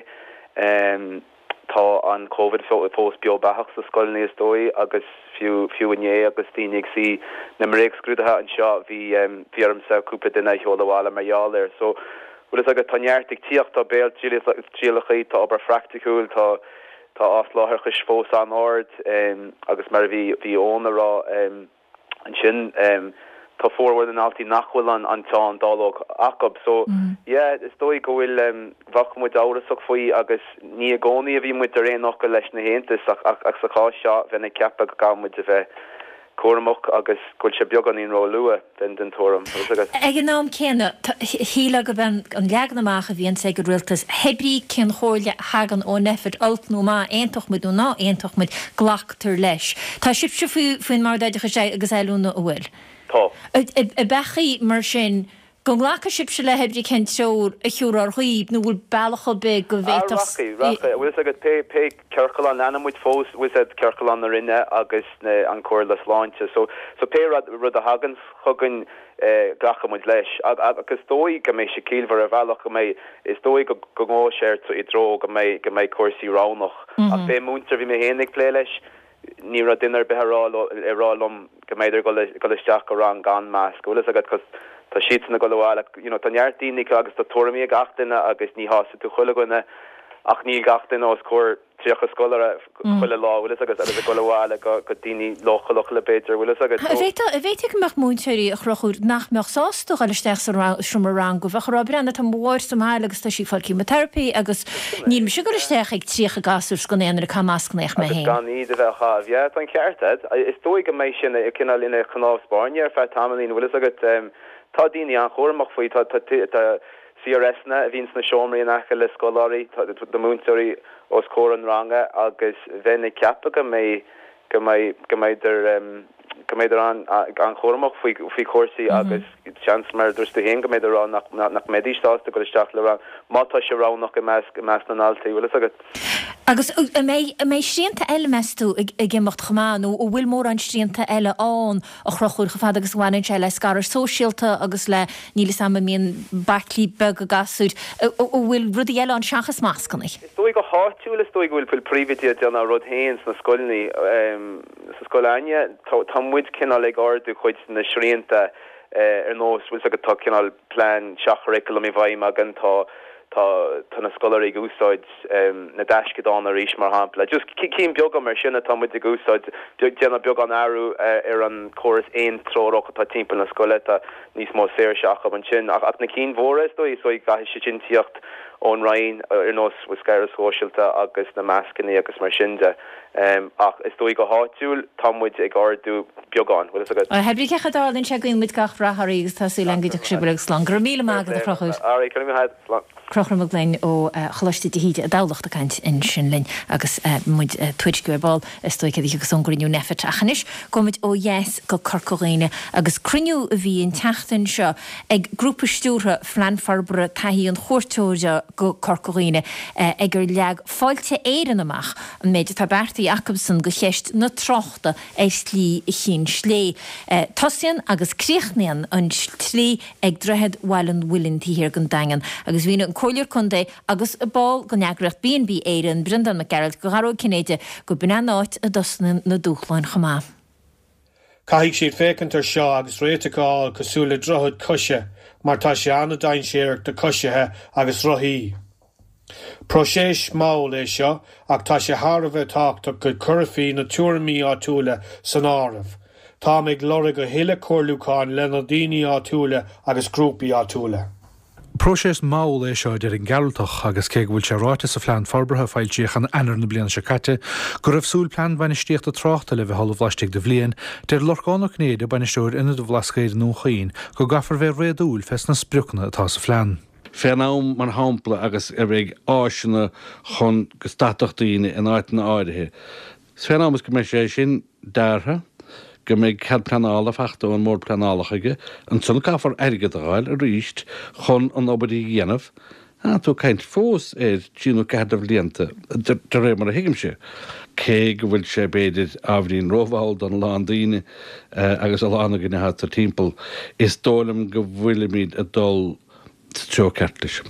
Tá an Covid fós beo beathach sna scoileanna is dóigh agus fiú fiú inné agus daoine ag suí na mbréagscrúduithe anseo bhí bhí ormsa cúpla duine a sheoladh abhaile mar gheall air. So bhfuil fhios agat tá neart ag tíocht, tá béaltrialacha, tá obair phraiticiúil, tá tá asláithreachais fós an-ard agus mar a bhí bhí Eoin a rá, Ansin tá formhór na ndaltaí nach bhfuil an an t-aon dáileog acu. So yeah, is dóigh go bhfuil, bheadh muid amhrasach faoi agus ní i gcónaí a bhí muid ar aon fhocal leis na haontais ach ach sa chás seo bheinn ag ceapadh go gcaithfidh muid a bheith cúramach agus go bhfuil sé beagáinín ró-luath, bheinn den tuairim. Ag an am céanna, shílfeá gurb é an leagan amach a bhíonns ag an rialtas, hé brí cén chomhairle a thagann ó Nphet, olc nó maith, aontódh muid nó ná aontódh muid, glactar leis. Tá sibhse faoin mBord Oideachais agus Oiliúna, an bhfuil? Tá. Ab ea mar sin Go nglacfaidh sibhse le hé cibé cén treoir a thiúrfar dhaoibh nó bhfuil bealach ar bith go Ah, bhféadfadh rachaidh, rachaidh. Bhfuil fhios agat, pé, pé ciorclán, leanann muid fós, bhfuil fhios agat, ciorclán na Roinne agus na, an Comhairle Sláinte. So, so pé rud, rud a thaganns chugainn, eh, glacfaidh muid leis. Ag, agus is dóigh go mbeidh sé ciallmhar ar bhealach, go mbeidh, is dóigh go, go ngabhfaidh sé ar, i dtreo go mbeidh, go mbeidh cúrsaí roghnach. Ach pé múinteoir a bhí mé féin ag plé leis, ní raibh duine ar bith ag rá leo, ag rá liom go mbeidh ag dul, dul isteach go rang gan masc. Bhfuil fhios agat, 'cause tá siadsan ag dul abhaile, you know, tá neart daoine acu agus tá tuairimí ag gach duine agus ní shásaíonn tú chuile dhuine ach níl gach duine os comhair tríocha scoláire chuile lá, bhfuil fhios agat, agus ag dul abhaile go, go daoine leochaileacha b'fhéidir, bhfuil fhios agat. An bhféadfadh, an bhféadfadh go mbeadh múinteoirí a Chonchúir nach mbeadh sásta dul isteach sa seomra ranga, bheadh ag rá, breathnaigh, tá mo mháthair sa mbaile agus tá sí ag fáil chemotherapy agus níl mise ag dul isteach ag tríocha gasúr gan aon ag caitheamh mascanna ach mé Agus féin. gan iad a bheith á chaitheamh. Yeah, tá an ceart agat. Is dóigh go mbeidh sin cineál ina chnámh spairne ar feadh tamaillín, bhfuil fhios agat. Tá daoine an-chúramach faoi, tá tá tá CRSanna a bhíonn sna seomraí in aice le scoláirí, tá na múinteoirí os comhair an ranga agus bheinn ag ceapadh go mbeidh go mbeidh go mbeidh go mbeidh an an-chúramach faoi faoi chúrsaí agus seans mar a dúirt tú féin go mbeidh ag rá nach nach mbeidís sásta dul isteach le rang má tá sé roghnach i measc i measc na ndaltaí, bhfuil fhios agat. Agus an mbeidh an mbeidh srianta eile meas tú ag ag imeacht chomh maith nó an bhfuil mórán srianta eile ann a Chonchúir chomh fada agus a bhaineann sé le scaradh sóisialta agus le níl fhios a'm an mbíonn baiclí beaga gasúir an bhfuil rudaí eile ann seachas mascanna? Is dóigh go háitiúil is dóigh go bhfuil príomhoidí ag déanamh a rud féin sna scoileanna sa scoil againne tá tá muid cineál ag ardú cuid de na srianta ar nós bhfuil fhios agat tá cineál plean seach-churriculum i bhfeidhm againn tá tá tá na scoláirí ag úsáid na dtaisceadán arís mar shampla. Just cinn beaga mar sin atá muid ag úsáid déanamh beagán athrú ar an córas aontreorach atá timpeall na scoile tá níos mó saoirse acu ansin ach ach na cinn mhóra is dóigh is dóigh caithfidh sé sin tíocht ón Roinn ar nós scaradh sóisialta agus na mascanna agus mar sin de. Ach is dóigh go háitiúil tá muid ag ardú beagán, bhfuil fhios agat. Pé ar bith cén chaoi a dtarlaíonn sé guíonn muid gach rath oraibh agus tá súil againn go dtiocfaidh sibh uilig slán. Go raibh míle maith agat a Chonchúir. Alright, go raibh maith agat. Slán. Conchúr Mac Gloinn ó Choláiste de hÍde i dTamhlacht ag caint ansin linn agus muid ag tuairisciú ar ball is dóigh céard a thiocfas ón gcruinniú Nphet. Ach anois gabhfaidh muid ó dheas go Corca Dhuibhne agus cruinniú a bhí an tseachtain seo ag grúpa stiúrtha Phlean Forbartha Taithí an Chuairteora go Corca Dhuibhne ag ar leag Fáilte Éireann amach an méid atá beartaithe acusan go cheist na tráchta ar Shlí Chinn Slé. Tosaíonn agus críochnaíonn an tslí ag Droichead Bhaile an Mhuilinn taobh thiar den Daingean agus mhínigh an Comhairleoir Contae agus ball den eagraíocht B and B Éireann, Breandán Mac Gearailt do Dhara Ó Cinnéide go b'in an áit a dtosnaíonn na dúshláin chomh maith. Caithfidh siad féachaint ar seo agus réiteach a fháil cosúil le droichead coise mar tá sé an-dainséarach do choisithe agus rothaí. Próiseas mall é seo ach tá sé thar a bheith tábhachtach go gcuirfí na tuairimí áitiúla san áireamh. Táim ag lorg a thuilleadh comhairliúcháin le na daoine áitiúla agus grúpaí áitiúla. Próiseas mall é seo deir an Gearaltach agus cé go bhfuil sé ráite sa phlean forbartha foilsíodh in Eanáir na bliana seo caite go raibh súil plean bainistíochta tráchta le bheith ullamh laistigh de bhliain, deir Lorcán Ó Cinnéide bainisteoir Ionad an Bhlascaoid i nDún Chaoin go gcaithfear bheith réadúil fés na spriocanna atá sa phlean. Fén am mar shampla agus a bheidh áiseanna chun go stadfadh daoine in áiteanna áirithe. Fén am is go mbeidh sé sin deartha, go mbeidh cead pleanála faighte ón mBord Pleanála chuige, ansan caithfear airgead a fháil arís chun an obair a dhéanamh. Tá tú ag caint fós ar trí nó ceathair de bhlianta, de réir mar a thuigimse. Cé go bhfuil sé b'fhéidir ábhairín rómhall don lán daoine agus a lán againne atá timpeall, is dóigh liom go bhfuilimid ag dul sa treo ceart leis.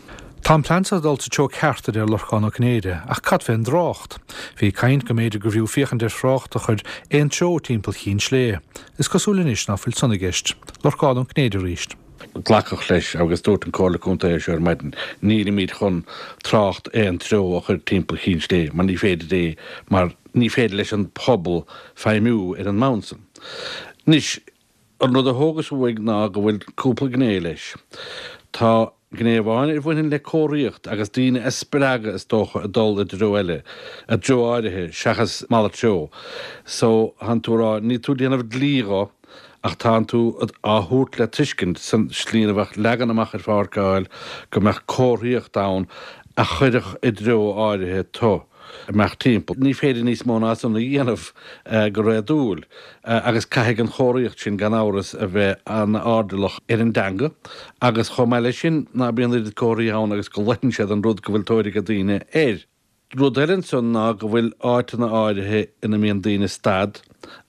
Tá an plean seo ag dul sa treo ceart, a deir Lorcán Ó Cinnéide, ach cad fén dtrácht? Bhí caint go mb'fhéidir gurbh fhiú féachaint ar thrácht a chur aon treo timpeall Chinn Slé. Is cosúil anois ná fuil san i gceist. Lorcán Ó Cinnéide arís. Glacadh leis, agus dúirt an Comhairle Contae é seo ar maidin, nílimid chun trácht aon treo a chur timpeall Chinn Slé mar ní féidir é mar ní féidir leis an pobal feidhmiú ar an mbonn san. Anois, an rud a thógas uaidh ná go bhfuil cúpla gné leis. Tá gné amháin a bhaineann le comharthaíocht agus daoine a spreagadh is dócha ag dul i dtreo eile, i dtreo áirithe seachas malairt treo. So, tánn tú a rá, níl tú ag déanamh dlí dho ach tánn tú á thabhairt le tuiscint san slí ina bheadh leagan amach ar pháirceáil go mbeadh comharthaíocht ann a chuirfeadh i dtreo áirithe tu. imeacht timpeall. Ní féidir níos mó ná san a dhéanamh go réadúil agus caithfidh an chomharthaíocht sin gan amhras a bheith an-airdeallach ar an dteanga agus chomh maith leis sin ná bíonn oiread comharthaí ann agus go loiteann siad an rud go bhfuil tóir ag daoine air. Rud eile ansan ná go bhfuil áiteanna áirithe ina mbíonn daoine stad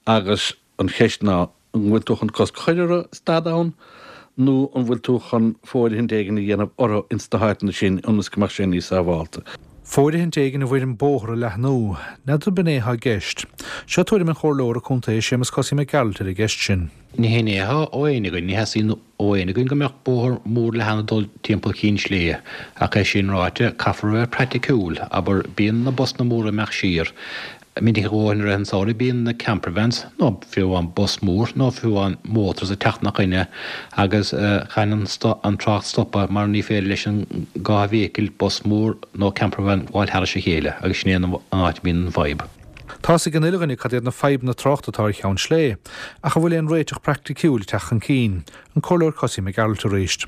agus an cheist ná an bhfuil tú chun cosc a chur orthu stad ann nó an bhfuil tú chun fóirithint éigin a dhéanamh orthu ins na háiteanna sin ionas go mbeadh sé níos sábhálta. Fóirithint éigin i bhfoirm bóthar a leathnú, n'fheadar ab in é atá i gceist. Seo tuairim an Chomhairleora Contae Séamus Cosaí Mac Gearailt ar an gceist sin. Ní hin é atá ó éinne againn, ní theastaíonn ó éinne againn go mbeadh bóthar mór leathan ag dul timpeall Chinn Sléibhe, ach é sin ráite, caithfear a bheith praiticiúil, abair, bíonn na busanna móra ag imeacht siar, Minic a dhóthain i rith an tsamhraidh bíonn na campervans, nó fiú amháin bus mór, nó fiú amháin motors ag teacht 'na choinne agus caithfidh an trácht stopadh mar ní féidir leis an dhá vehicle, bus mór nó campervan, gabháil thairis a chéile agus sin é an áit a mbíonn an fadhb. Tá's ag an uile dhuine cad iad na fadhbanna tráchta atá ar Cheann Sléibhe, ach an bhfuil aon réiteach praiticiúil ag teacht chun cinn? An Comhairleoir Cosaí Mac Gearailt arís.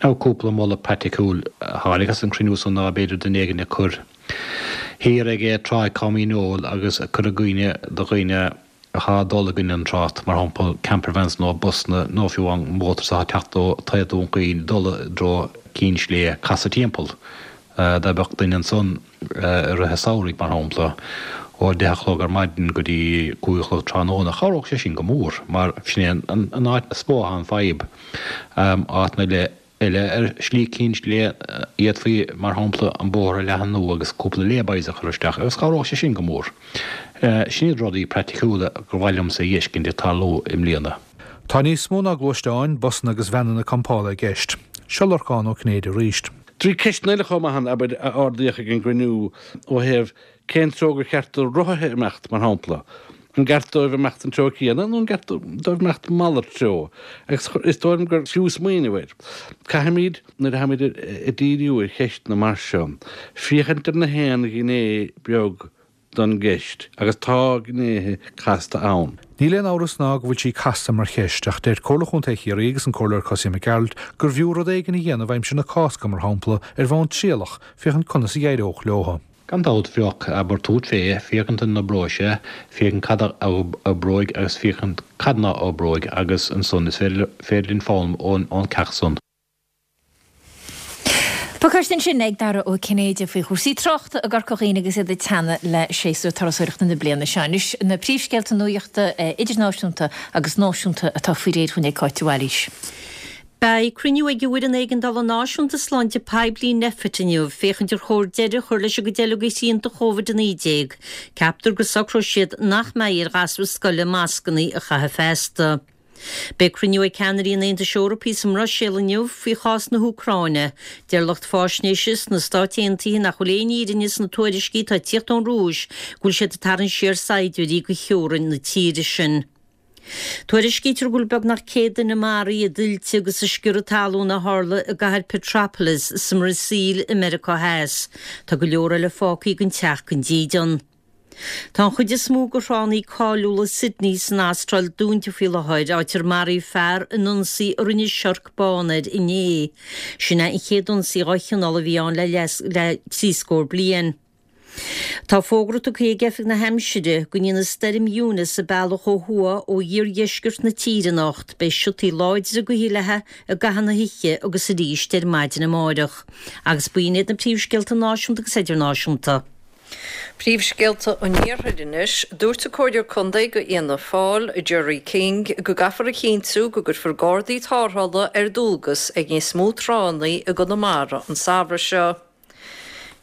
Now cúpla moladh praiticiúil a tháinig as an chruinniú san ná b'fhéidir duine éigin a chur thiar ag Tráigh Cáimín Óil agus a chur i gcuimhne do dhaoine athá ag dul i gcoinne an trácht, mar shampla campervans nó busanna nó fiú amháin motors athá ag teacht ó taobh Dún Chaoin ag dul i dtreo Cinn Sléibhe casadh timpeall. Dá mbeadh duine ansan i rith an samhraidh, mar shampla, ó deich a chlog ar maidin go dtí cúig a chlog tráthnóna, chabhródh sé sin go mór, mar sin é an áit is mó atá an fadhb. Áiteanna eile ar Shlí Cinn Sléibhe, d'fhéadfaí, mar shampla, an bóthar a leathnú agus cúpla lay-bys a chur isteach, agus chabhródh sé sin go mór. Sin iad rudaí praiticiúla gur mhaith liomsa a fheiscint ag tarlú i mbliana. Tá níos mó ná gluaisteáin, busanna agus veaineanna campála i gceist. Seo Lorcán Ó Cinnéide arís. Trí ceisteanna eile chomh maith ann, abair, a ardaíodh ag an gcruinniú ó thaobh cén treo gur cheart do rothaithe imeacht, mar shampla. An gceart dóibh imeacht an treo céanna nó an gceart dóibh imeacht malairt treo? Agus is dóigh liom gur fiú smaoineamh air. Caithfimid, nuair atáimid ag díriú ar cheisteanna mar seo, féachaint ar na haon ghné beag don gceist, agus tá gnéithe casta ann. Níl aon amhras ná go bhfuil sí casta mar cheist, ach deir Comhairle Chontae Chiarraí agus an Comhairleoir Cosaí Mac Gearailt gurbh fhiú rud éigin a dhéanamh aimsir na Cásca, mar shampla, ar bhonn trialach, féachaint conas a d'éireodh leo. Gan dabht, bheadh, abair tabhairt fé, féachaint an oibreoidh sé, féachaint cad a oibreoidh agus féachaint cad ná oibreoidh agus ansan is féidir linn foghlaim ón gceacht san. Pacáiste ansin ag Dara Ó Cinnéide faoi chúrsaí tráchta i gCorca Dhuibhne agus iad ag teannadh le séasúr turasóireachta na bliana seo. Anois na príomhscéalta nuachta idirnáisiúnta agus náisiúnta atá faoi réir dhúinn ag Cáit de Bhailís. Beidh cruinniú ag an bhFoireann Éigeandála Náisiúnta Sláinte Poiblí, Nphet, inniu féachaint ar chóir deireadh a chur leis an gcuid eile de shrianta Covid a naoi déag. Ceaptar go socróidh siad nach mbeidh ar ghasúir scoile mascanna a chaitheamh feasta. Beidh cruinniú ag ceannairí an Aontais Eorpaigh sa mBruiséil inniu faoi chás na hÚcráine. Deir lucht faisnéise sna Stáit Aontaithe nach bhfuil aon fhírinne sna tuairiscí atá ag tíocht ón Rúis go bhfuil siad ag tarraingt siar saighdiúirí go theorainn na tíre sin. Tuairiscítear go bhfuil beagnach céad duine maraithe i dtuilte agus i sciorradh talún a tharla i gcathair Petropolis sa mBrasaíl i Meiriceá Theas. Tá go leor eile fágtha gan teach gan dídean. Tá an chuid is mó de thránna cáiliúla Sydney san Astráil dúnta faoi láthair, áit ar maraíodh fear in ionsaí a rinne siorc bán air inné. Sin é an chéad ionsaí dá chineál a bhí ann le le trí scór bliain. Tá fógra tugtha ag Oifig na hAimsire go ndéanfaidh Stoirm Eunice a bealach ó thuaidh ó iardheisceart na tíre anocht. Beidh siotaí láidre gaoithe léi i gcaitheamh na hoíche agus arís ar maidin amárach. Agus b'in iad na príomhscéalta náisiúnta agus idirnáisiúnta. Príomhscéalta an Iarthair anois. Dúirt an Comhairleoir Contae do Fhianna Fáil, Gerry King, go gcaithfear a chinntiú go gcuirfear gardaí tarrthála ar dualgas ag níos mó tránna i gConamara an samhradh seo.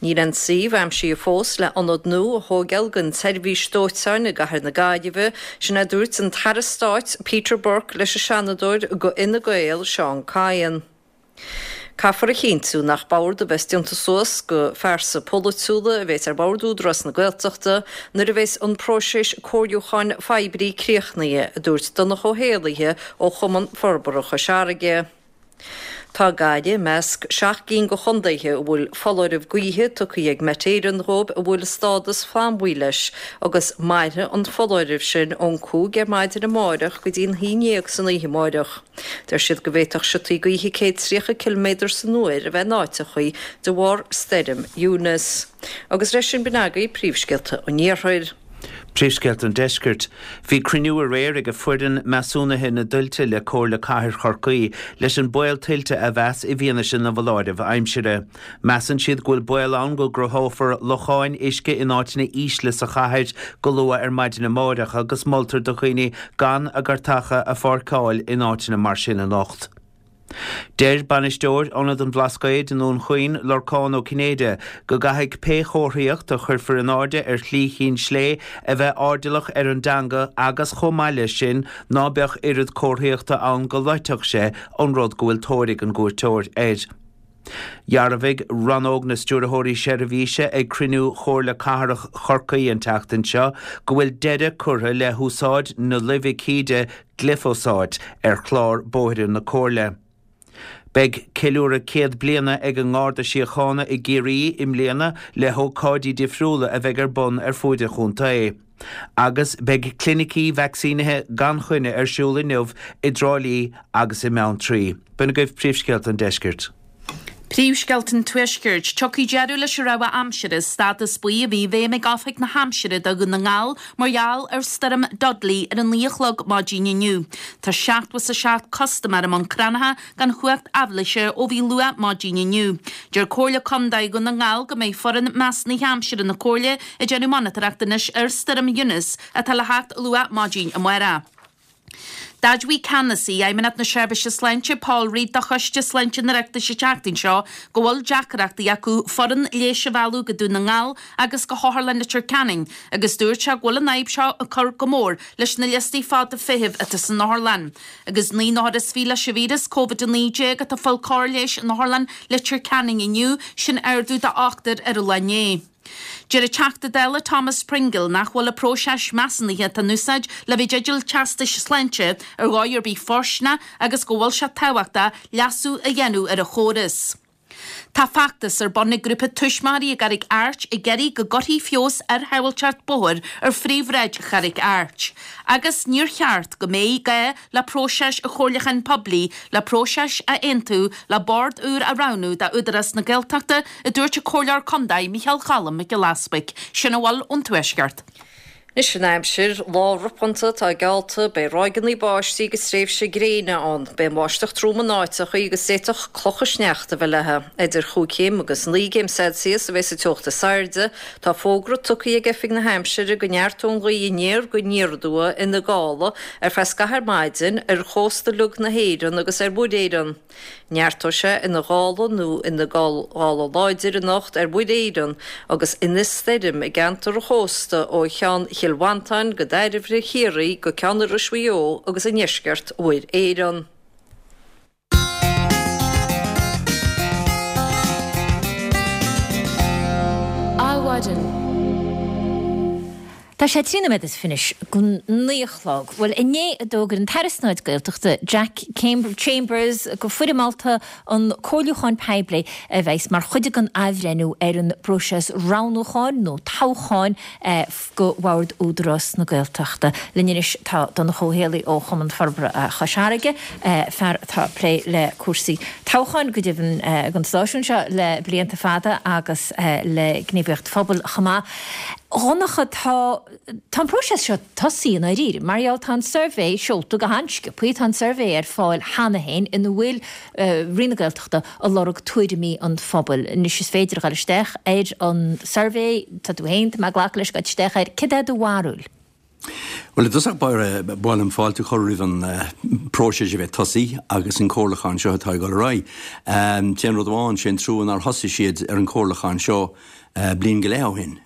Níl aon suíomh aimsithe fós le ionad nua a thógáil don tseirbhís dóiteáin i gcathair na Gaillimhe, sin a dúirt an tAire Stáit Peter Burke leis an Seanadóir do Fhine Gael, Seán Kyne. Caithfear a chinntiú nach bord a bheas déanta suas de phearsa polaitiúla a bheas ar bhord Údarás na Gaeltachta nuair a bheas an próiseas comhairliúcháin phoiblí críochnaithe, a dúirt Donncha Ó hÉallaithe ó Chumann Forbartha Chois Fharraige. Tá Gaillimh i measc seacht gcinn de chontaetha a bhfuil foláireamh gaoithe tugtha ag Met Éireann dhóibh a bhfuil stádas flannbhuí leis agus mairfidh an foláireamh sin ón cúig ar maidin amáireach go dtí an haon dhéag san oíche amáireach. Deir siad go bhféadfadh siotaí gaoithe céad tríocha ciliméadar san uair a bheith in áiteachaí de bharr stoirm Eunice. Agus leis sin b'in agaibh príomhscéalta an Iarthair. Príomhscéalta an Deiscirt. Bhí cruinniú aréir ag foireann measúnaithe na dtuilte le Comhairle Cathair Chorcaí leis an baol tuilte a mheas i bhfianaise na bhfoláireamh aimsire. Measann siad go bhfuil baol ann go gcruthófar locháin uisce in áiteanna ísle sa chathair go luath ar maidin amáireach agus moltar do dhaoine gan a gcairteacha a pháirceáil in áiteanna mar sin anocht. Deir bainisteoir Ionad an Bhlascaoid i nDún Chaoin, Lorcán Ó Cinnéide, go gcaithfidh pé chomharthaíocht a chuirfear in airde ar Shlí Chinn Slé a bheith airdeallach ar an dteanga agus chomh maith leis sin ná beadh oiread comharthaíochta ann go loitfeadh sé an rud go bhfuil tóir ag an gcuairteoir air. Dhearbhaigh Rannóg na Stiúrthóirí Seirbhíse ag cruinniú Chomhairle Cathrach Chorcaí an tseachtain seo go bhfuil deireadh curtha le húsáid na luibhicíde gliofosáit ar chlár bóithre na Comhairle. Beidh ceiliúradh céad bliana ag an nGarda Síochána i gCiarraí i mbliana le hócáidí difriúla a bheidh ar bun ar fuaid an chontae. Agus beidh clinicí vacsaínithe gan choinne ar siúl inniu i dTrá Lí agus i mBeanntraí. B'in agaibh príomhscéalta an deiscirt. Príomhscéalta an Tuaiscirt, Tiocfaidh deireadh leis an rabhadh aimsire, stádas buí a bhí i bhfeidhm ag Oifig na hAimsire do Dhún na nGall mar gheall ar stoirm Dudley ar a naoi a chlog maidin inniu. Tá seachtó is a seacht custaiméir i mBun Cranncha gan chumhacht aibhléise ó bhí luath maidin inniu. Deir Comhairle Contae Dhún na nGall go mbeidh foireann measúnaithe aimsire na Comhairle ag déanamh monatóireacht anois ar stoirm Eunice atá le theacht luath maidin amárach. D'admhaigh Ceannasaí Fheidhmeannacht na Seirbhíse Sláinte Paul Reid do Choiste Sláinte an Oireachtais an tseachtain seo go bhfuil deacrachtaí acu foireann leighis a mhealladh go Dún na nGall agus go hOtharlann Leitir Ceanainn agus dúirt sé go bhfuil an fhadhb seo ag cur go mór leis na liostaí fada feithimh atá san otharlann. Agus naoi n-othar is fiche leis an víreas Covid a naoi déag atá ag fáil cóir leighis in Otharlann Leitir Ceanainn inniu, sin ardú d'ochtar ar an lá inné. Deir an Teachta Dála Thomas Pringle nach bhfuil an próiseas measúnaithe atá in úsáid le bheith i dteideal teastais sláinte ar dhóigh ar bith fóirsteanach agus go bhfuil sé tábhachtach leasú a dhéanamh ar an chóras. Tá feachtas ar bun ag grúpa tuismitheoirí i gCarraig Airt ag iarraidh go gcuirfí feabhas ar shábháilteacht bóthair ar phríomhshráid Charraig Airt agus níor cheart go mbeidh gá le próiseas an chomhairliúcháin poiblí le próiseas a aontú le bord úr a roghnú d'Údarás na Gaeltachta, a dúirt an Comhairleoir Contae Micheál Cholm Mac Giolla Easbuig. Sin a bhfuil ón Tuaisceart. Anois an aimsir, lá ropánta atá geallta, beidh ráigeanna báistí agus tréimhse gréine ann. Beidh an bháisteach trom in áiteachaí agus d'fhéadfadh clocha sneachta a bheith léi. Idir chúig chéim agus naoi gcéim Celsius a bheas an teocht is airde. Tá fógra tugtha ag Oifig na hAimsire go neartóidh an ghaoth aniar go aniar aduaidh ina gála ar feadh scaitheamh ar maidin ar chósta uilig na hÉireann agus ar Mhuir Éireann. Neartóidh sé ina ghála nó ina gála láidir anocht ar Mhuir Éireann agus ina stoirm i gceantar an chósta ó cheann Chill Mhantáin go Dairbhre Chiarraí go ceann Iorrais Mhaigh Eo agus i ndeisceart Mhuir Éireann. Adhmhaidin. Tá sé trí nóiméad is fiche go naoi a chlog. Bhuel, inné a d'fhógair an tAire Stáit Gaeltachta Jack Chambers go foirmeálta an comhairliúchán poiblí a bheas mar chuid den athbhreithniú ar an bpróiseas roghnúcháin nó toghcháin go Bhord Údarás na Gaeltachta. Linn anois tá Donncha Ó Héalaí ó Chumann Forbartha Chois Fharraige, fear atá ag plé le cúrsaí toghcháin go deimhin don stáisiún seo le blianta fada agus le gníomhaíocht phobail chomh maith. A Dhonncha, tá tá an próiseas seo tosaithe i ndáiríre. Mar gheall tá an suirbhé seolta go han-sciobtha, tá an suirbhé ar fáil cheana féin ina bhfuil Roinn na Gaeltachta ag lorg tuairimí an phobail. Anois is féidir a dhul isteach ar an suirbhé, tá tú féin, tá mé ag glacadh leis, ag dul isteach air. Céard é do bharúil? Bhuel, i dtosach báire, ba mhaith liom fáilte a chur roimh an próiseas a bheith tosaithe agus an comhairliúchán seo atá ag dul ar aghaidh. T-aon rud amháin, sé an trua nár thosaigh siad ar an chomhairliúchán seo bliain go leith ó shin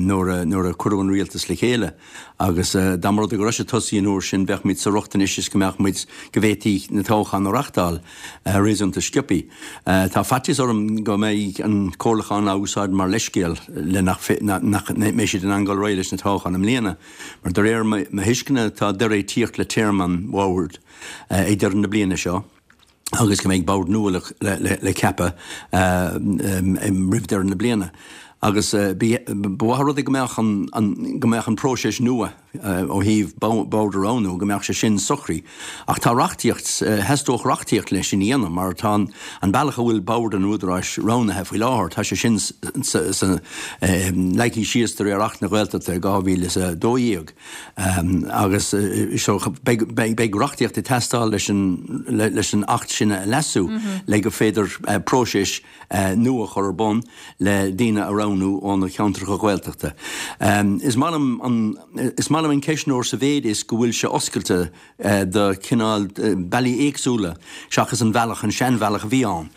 nuair a nuair a cuireadh an rialtas le chéile agus dá mba rud é go raibh sé tosaithe an uair sin bheadh muid sa riocht anois is go mbeadh muid go bhféadfaí na toghcháin a reachtáil réasúnta sciobtha. Tá faitíos orm go mbeidh an comhairliúchán á úsáid mar leithscéal le nach nach mbeidh siad in ann dul ar aghaidh leis na toghcháin i mbliana mar de réir mo thuisceana tá deireadh ag tíocht le téarma an bhoird ag deireadh na bliana seo. agus go mbeidh bord nua le ceapadh roimh deireadh na bliana. Agus ba mhaith an rud é go mbeadh an go mbeadh an próiseas nua ó thaobh bord a roghnú, go mbeadh sé sin socraithe. Ach tá reachtaíocht, theastódh reachtaíocht leis sin a dhéanamh mar tá an bealach a bhfuil bord an Údaráis roghnaithe faoi láthair, tá sé sin leagtha síos de réir Acht na Gaeltachta dhá mhíle is a dó dhéag. Agus so beidh beidh reachtaíocht ag teastáil leis an leis an Acht sin a leasú le go féidir próiseas nua a chur ar bun le daoine a roghnú ó na ceantracha Gaeltachta. Is maith liom an is maith liom an ceistneoir sa mhéid is go bhfuil sé oscailte do chineál bealaí éagsúla seachas an bhealach, an seanbhealach a bhí ann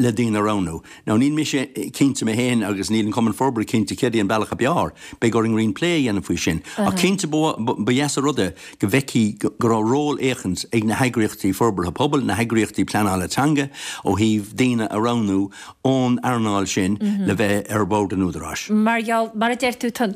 le daoine a roghnú. Now níl mise cinnte mé féin agus níl an Cumann Forbartha cinnte céard é an bealach ab fhearr. Beidh orainn roinnt plé a dhéanamh faoi sin. Ach cinnte ba dheas an rud é go bhfeicfí go raibh ról éicint ag na heagraíochtaí forbartha pobail, na heagraíochtaí pleanála teanga ó thaobh daoine a roghnú ón earnáil sin le bheith ar bhord an Údaráis. Mar gheall, mar a deir tú, tá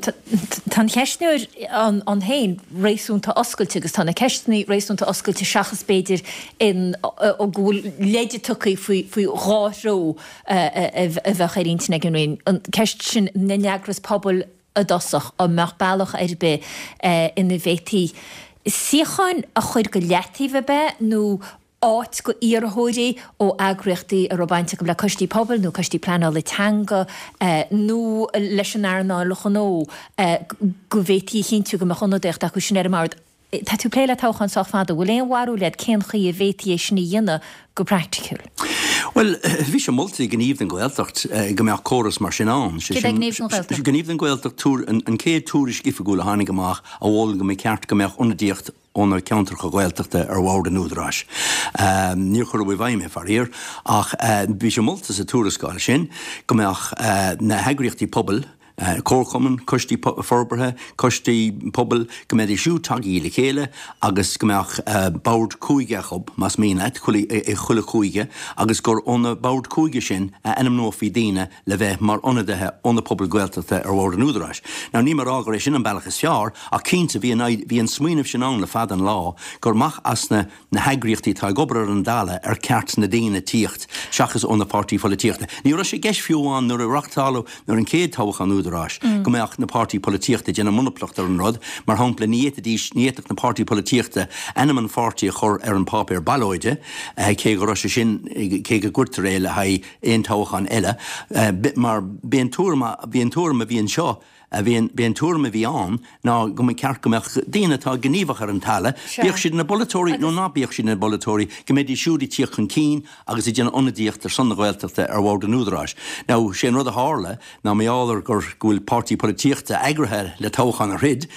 an cheistneoir ann féin réasúnta oscailte agus tá na ceisteanna réasúnta oscailte seachas b'fhéidir in go bhfuil leide tugtha faoi faoi dhá threo a bheadh ar intinn ag an Roinn. An ceist sin na n-eagras pobail i dtosach, an mbeadh bealach ar bith ina bhféadfaí suíocháin a chur go leataobh ab ea nó áit go iarrthóirí ó eagraíochtaí a raibh baint acu le coistí pobail nó coistí pleanála teanga nó leis an earnáil ghnó go bhféadfaí a chinntiú go mbeadh ionadaíocht acu sin ar an mbord. Tá tú ag plé le toghcháin sách fada, bhfuil aon bharúil agat cén chaoi a bhféadfaí é sin a dhéanamh go praiticiúil? Bhuel, bhí sé molta ag Gníomh don Ghaeltacht go mbeadh córas mar sin ann. Céard é Gníomh don Ghaeltacht? Gníomh don Ghaeltacht, an chéad tuairisc oifigiúil a tháinig amach a mhol go mba cheart go mbeadh ionadaíocht ó na ceantracha Gaeltachta ar bhord an Údaráis. Níor cuireadh i bhfeidhm é, faraor, ach bhí sé molta sa tuarascáil sin go mbeadh na heagraíochtaí pobail, comharchumainn, coistí forbartha, coistí pobail, go mbeidís siúd tagtha le chéile agus go mbeadh bord cúige acu, más mian leat, i chuile chúige agus gur ó na boird cúige sin a ainmneofaí daoine le bheith mar ionadaithe ó na pobail Ghaeltachta ar bhord an Údaráis. Now níl mé ag rá gur é sin an bealach is fearr ach cinnte bhí an bhí an smaoineamh sin ann le fada an lá gur amach as na na heagraíochtaí atá ag obair ar an dtalamh ar cheart na daoine tíocht seachas ó na páirtí pholaitíochta. Ní raibh sé i gceist fiú amháin nuair a reachtáladh nuair an chéad toghchán Údaráis go mbeadh na páirtí polaitíochta ag déanamh monaplacht ar an rud, mar shampla ní fhéadfaidís ní fhéadfadh na páirtí polaitíochta ainm an pháirtí a chur ar an páipéar ballóide cé go raibh sé sin cé go gcuirtear é le haghaidh aon toghchán eile mar b'é an tuairim bhí an tuairim a bhí anseo bhí an b'é an tuairim a bhí ann ná go mba cheart go mbeadh daoine atá gníomhach ar an talamh, bíodh siad ina bpolaiteoirí nó ná bíodh siad ina bpolaiteoirí, go mbeidís siúd ag tíocht chun cinn agus ag déanamh ionadaíocht ar son na Gaeltachta ar bhord an Údaráis. Now, sé an rud a tharla ná mar gheall ar gur go bhfuil páirtí polaitíochta eagraithe le toghchán a throid,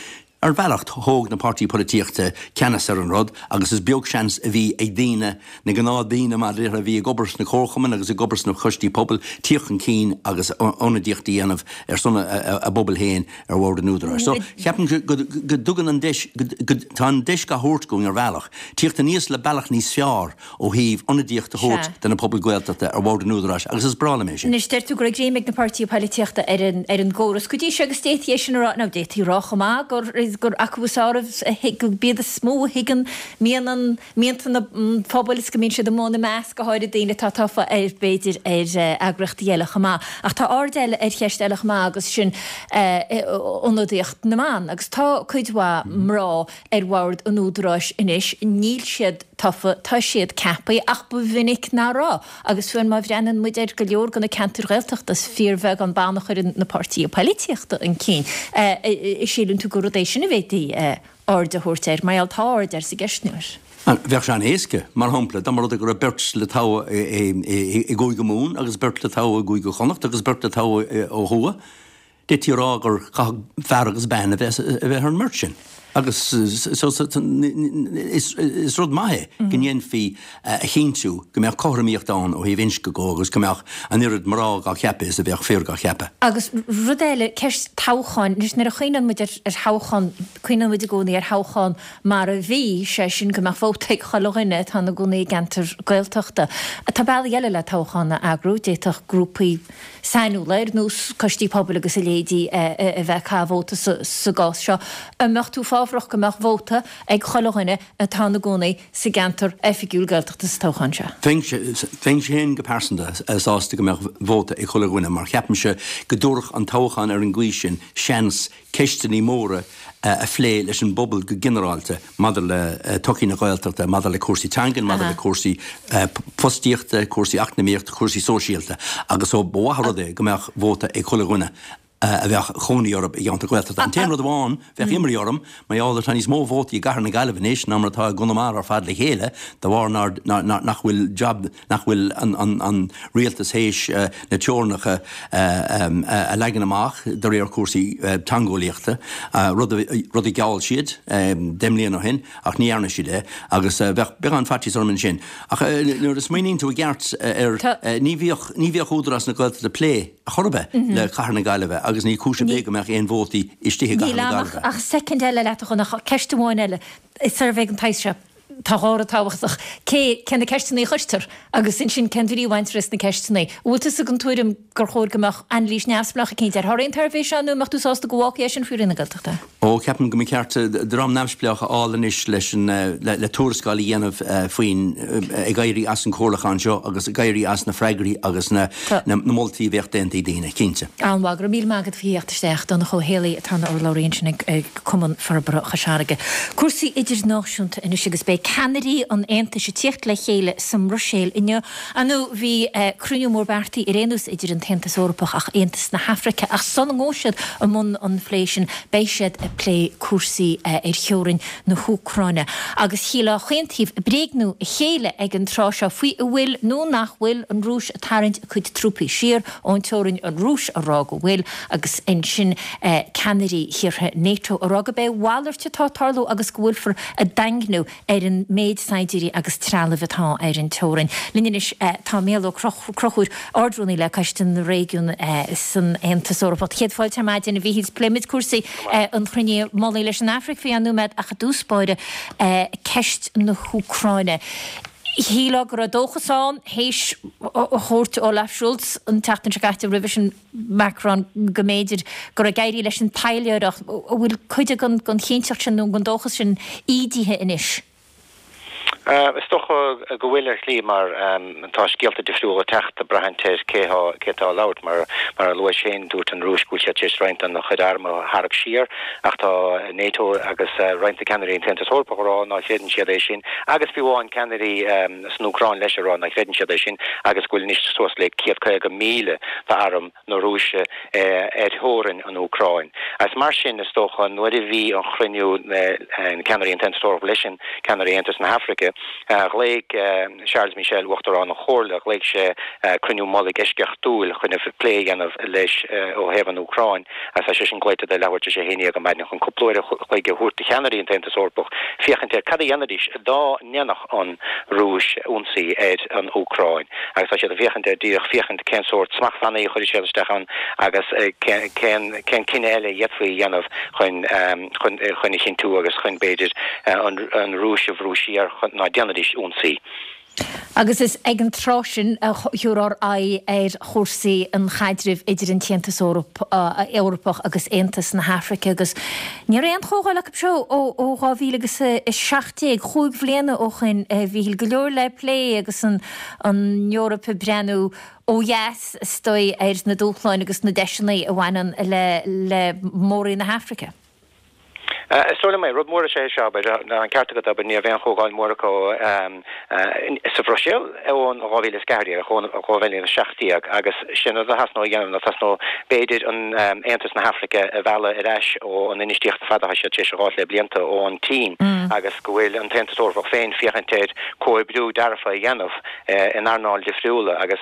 Ar bhealach, thóg na páirtí polaitíochta ceannas ar an rud agus is beag seans a bhí ag daoine, na gnáthdaoine mar a déarfá a bhí ag obair sna comharchumainn agus ag obair sna coistí pobail, tíocht chun cinn agus ionadaíocht a dhéanamh ar son a bpobail féin ar bhord an Údaráis. So, ceapaim go dtugann an deis, go, tá an deis á thabhairt dúinn ar bhealach, tíocht aníos le bealach níos fearr ó thaobh ionadaíocht a thabhairt do na pobail Ghaeltachta ar bhord an Údaráis agus is breá liom é sin. Anois, deir tú go raibh greim ag na páirtithe poilitíochta ar an ar an gcóras go dtí seo agus d'fhéadfaí é sin a rá, nó d'fhéadfaí a rá chomh maith gur gur acu is fearr a gurb iad is mó a thuigeann mian an mianta na phobail is go mbíonn siad amuigh ina measc, go háirid daoine atá tofa ar b'fhéidir ar eagraíochtaí eile chomh maith. Ach tá aird eile ar cheist eile chomh maith agus sin ionadaíocht na mban agus tá cuid mhaith mná ar bhord an Údaráis anois, níl siad tofa, tá siad ceaptha, ach ba mhinic nach raibh. Agus fiú má bhreathnaíonn muid ar go leor de na ceantair Ghaeltachta, is fíorbheagán ban a chuireann na páirtithe poilitíochta chun cinn. Síleann tú gur rud é sin a bhféadfaí aird a thabhairt air, mar gheall tá aird air sa gceistneoir? Bheadh sé an-éasca. Mar shampla, dá mba rud é go raibh beirt le toghadh i gCúige Mumhan agus beirt le toghadh i gCúige Chonnacht agus beirt le toghadh ó thuaidh, D'fhéadfaí a rá gur chaithfeadh fear agus bean a bheith ar an mbeirt sin. Agus is rud maith é go ndéanfaí a chinntiú go mbeadh cothromaíocht ann ó thaobh inscne de agus go mbeadh an oiread mná dhá cheapadh is a bheadh fir dhá cheapadh. Agus rud eile, ceist toghcháin. Anois nuair a chuimhneann muid ar thoghchán, cuimhneann muid i gcónaí ar thoghchán mar a bhí, sé sin go mbeadh vóta ag chuile dhuine atá ina gcónaí i gceantar Gaeltachta. Tá bealaí eile le toghchán a eagrú, d'fhéadfadh grúpaí sainiúla, ar nós coistí pobail agus a leithéidí, a bheith ag caitheamh vóta sa gcás seo. An mbeadh tú fábhrach tábhachtach go mbeadh vóta ag chuile dhuine atá ina gcónaí sa gceantar oifigiúil Gaeltachta sa toghchán seo. Bheinnse féin go pearsanta sásta go mbeadh vóta ag chuile dhuine mar ceapaimse go dtabharfadh an toghchán ar an gcaoi sin seans ceisteanna móra a phlé leis an bpobal go ginearálta maidir le todhchaí na Gaeltachta, maidir le cúrsaí teangan, maidir le cúrsaí fostaíochta, cúrsaí eacnamaíochta, cúrsaí sóisialta agus so ba mhaith an rud é go mbeadh vóta ag chuile dhuine a bheadh cónaí orthu i gceantar Gaeltachta. An t-aon rud amháin, bheadh imní orm, mar gheall tá níos mó vótaí i gCathair na Gaillimhe anois ná mar atá i gConamara ar fad le chéile, de bharr nach bhfuil jab, nach bhfuil an rialtas théis na teorainneacha a leagan amach de réir cúrsaí teangeolaíochta, rud a gheall siad deich mbliana ó shin ach ní dhearna siad é agus bheadh beagán faitíos orm ansin. Ach nuair a smaoiníonn tú i gceart air, ní bhíodh, ní bhíodh Údarás na Gaeltachta ag plé chor ar bith le Cathair na Gaillimhe agus ní cúis ar bith go mbeadh aon vótaí istigh i gCathair na Níl Gaillimhe. ach soicind eile leat a Dhonncha, ceist amháin eile, suirbhé den tsaghas seo. Tá dhá rud tábhachtach, cé, cé na ceisteanna a chuirtear agus ansin cén bhrí a bhaintear as na ceisteanna. An bhfuil tusa den tuairim gur chóir go mbeadh anailís neamhspleách eicínt ar thorthaí an tsuirbhé seo nó an mbeadh tú sásta go bhfágfaí é sin faoi Roinn na Gaeltachta? Ó, ceapaim go mba cheart dream neamhspleách a fháil anois leis an, le tuarascáil a dhéanamh faoin, ag éirí as an chomhairliúchán seo agus ag éirí as na freagraí agus na, na moltaí a bheadh déanta ag daoine, cinnte. An-mhaith, go raibh míle maith agat faoi theacht isteach, Donncha Ó Héalaí atá ina urlabhraí ansin ag Cumann Forbartha Chois Fharraige. Cúrsaí idirnáisiúnta anois agus beidh ceannairí an Aontais ag tíocht le chéile sa mBruiséil inniu. Ar ndóigh bhí cruinniú mór beartaithe ar aon nós idir an tAontas Eorpach ach Aontas na hAfraice ach sula ngabhfaidh siad i mbun an phlé sin beidh siad ag plé cúrsaí ar theorainn na hÚcráine. Agus shílfeá chaon taobh ag bréagnú a chéile ag an tráth seo faoi an bhfuil nó nach bhfuil an Rúis ag tarraingt a cuid trúpaí siar ón teorainn, an Rúis a rá go bhfuil agus ansin ceannairí thíortha NATO a rá gurb é a mhalairt atá ag tarlú agus go bhfuilfear ag daingniú ar an méid saighdiúirí agus trealaimh atá ar an teorainn. Linn anois tá Mícheál Ó Conchúir, Ard-Rúnaí le Coiste na Réigiún san Aontas Eorpach. Céad fáilte ar maidin, a Mhíchíl. Pléimid cúrsaí an chruinnithe mullaigh leis an Afraic faoi cheann nóiméad ach i dtús báire ceist na hÚcráine. Shílfeá go raibh dóchas ann théis chuairt Olaf Scholz an tseachtain seo caite, roimhe sin Macron, go mb'fhéidir go raibh ag éirí leis an taidhleoireacht. An bhfuil cuid den chinnteacht sin nó den dóchas sin ídithe anois? Is dócha go bhfuil ar shlí mar tá scéalta difriúla ag teacht ag braithint ar cé cé atá ag labhairt. Mar mar a luais féin, dúirt an Rúis go bhfuil siad tar éis roinnt den chuid arm a tharrac siar ach tá NATO agus roinnt de cheannairí an tAontas Eorpach ag rá ná chreideann siad é sin agus fiú amháin ceannairí san Úcráin leis ag rá ná chreideann siad é sin agus go bhfuil anois suas le céad caoga míle d'arm na Rúise ar theorainn an Úcráin. Agus mar sin, is dócha, nuair a bhí an chruinniú na ceannairí an tAontas Eorpach leis an ceannairí Aontas na hAfraice, ghlaoigh Charles Michel, Uachtarán an Chomhairle, ghlaoigh sé cruinniú mullaigh eisceachtúil chun plé a dhéanamh leis ó thaobh an Úcráin agus tá sé sin glaoite do leathuair tar éis a haon déag ar maidin chun cúpla uair a chloig a thabhairt do cheannairí an tAontas Eorpach féachaint ar cad a dhéanfaidís dá ndéanfadh an Rúis ionsaí ar an Úcráin agus tá siad ag féachaint ar díreach féachaint cén sórt smachtbhannaí a chuirfidh siad isteach ann agus cén cén cinneadh eile a d'fhéadfaí a dhéanamh chun chun chun a chinntiú agus chun b'fhéidir an an Rúis a bhrú siar chun ná déanfaidís ionsaí. Agus is ag an tráth sin a thabharfar aghaidh ar chúrsaí an chaidrimh idir an tAontas Eorpach agus Aontas na hAfraice agus ní raibh aon chomhdháil acu seo ó dhá mhíle agus a seacht déag, chúig bhliana ó shin, a Mhíchíl. Go leor le plé agus an Eoraip ag breathnú ó dheas, is dóigh, ar na dúshláin agus na deiseanna a bhaineann le mór-roinn na hAfraice. Is dóigh liom é. Rud mór is ea é seo, abair. Tá an ceart agat, abair, ní raibh aon chomhdháil mhór acu sa Bhruiséil ón dhá mhíle is ceathair déag, ón dhá mhíle is seacht déag, agus sin rud a theastódh a dhéanamh, nó theastódh, b'fhéidir, an Aontas na hAfraice a mhealladh ar ais ó an infheistíocht ar fad atá siad tar éis a dh'fháilt le blianta ón tSín, agus go bhfuil an tAontas Eorpach féin féachaint ar comhoibriú dearfa a dhéanamh in earnáil difriúla agus.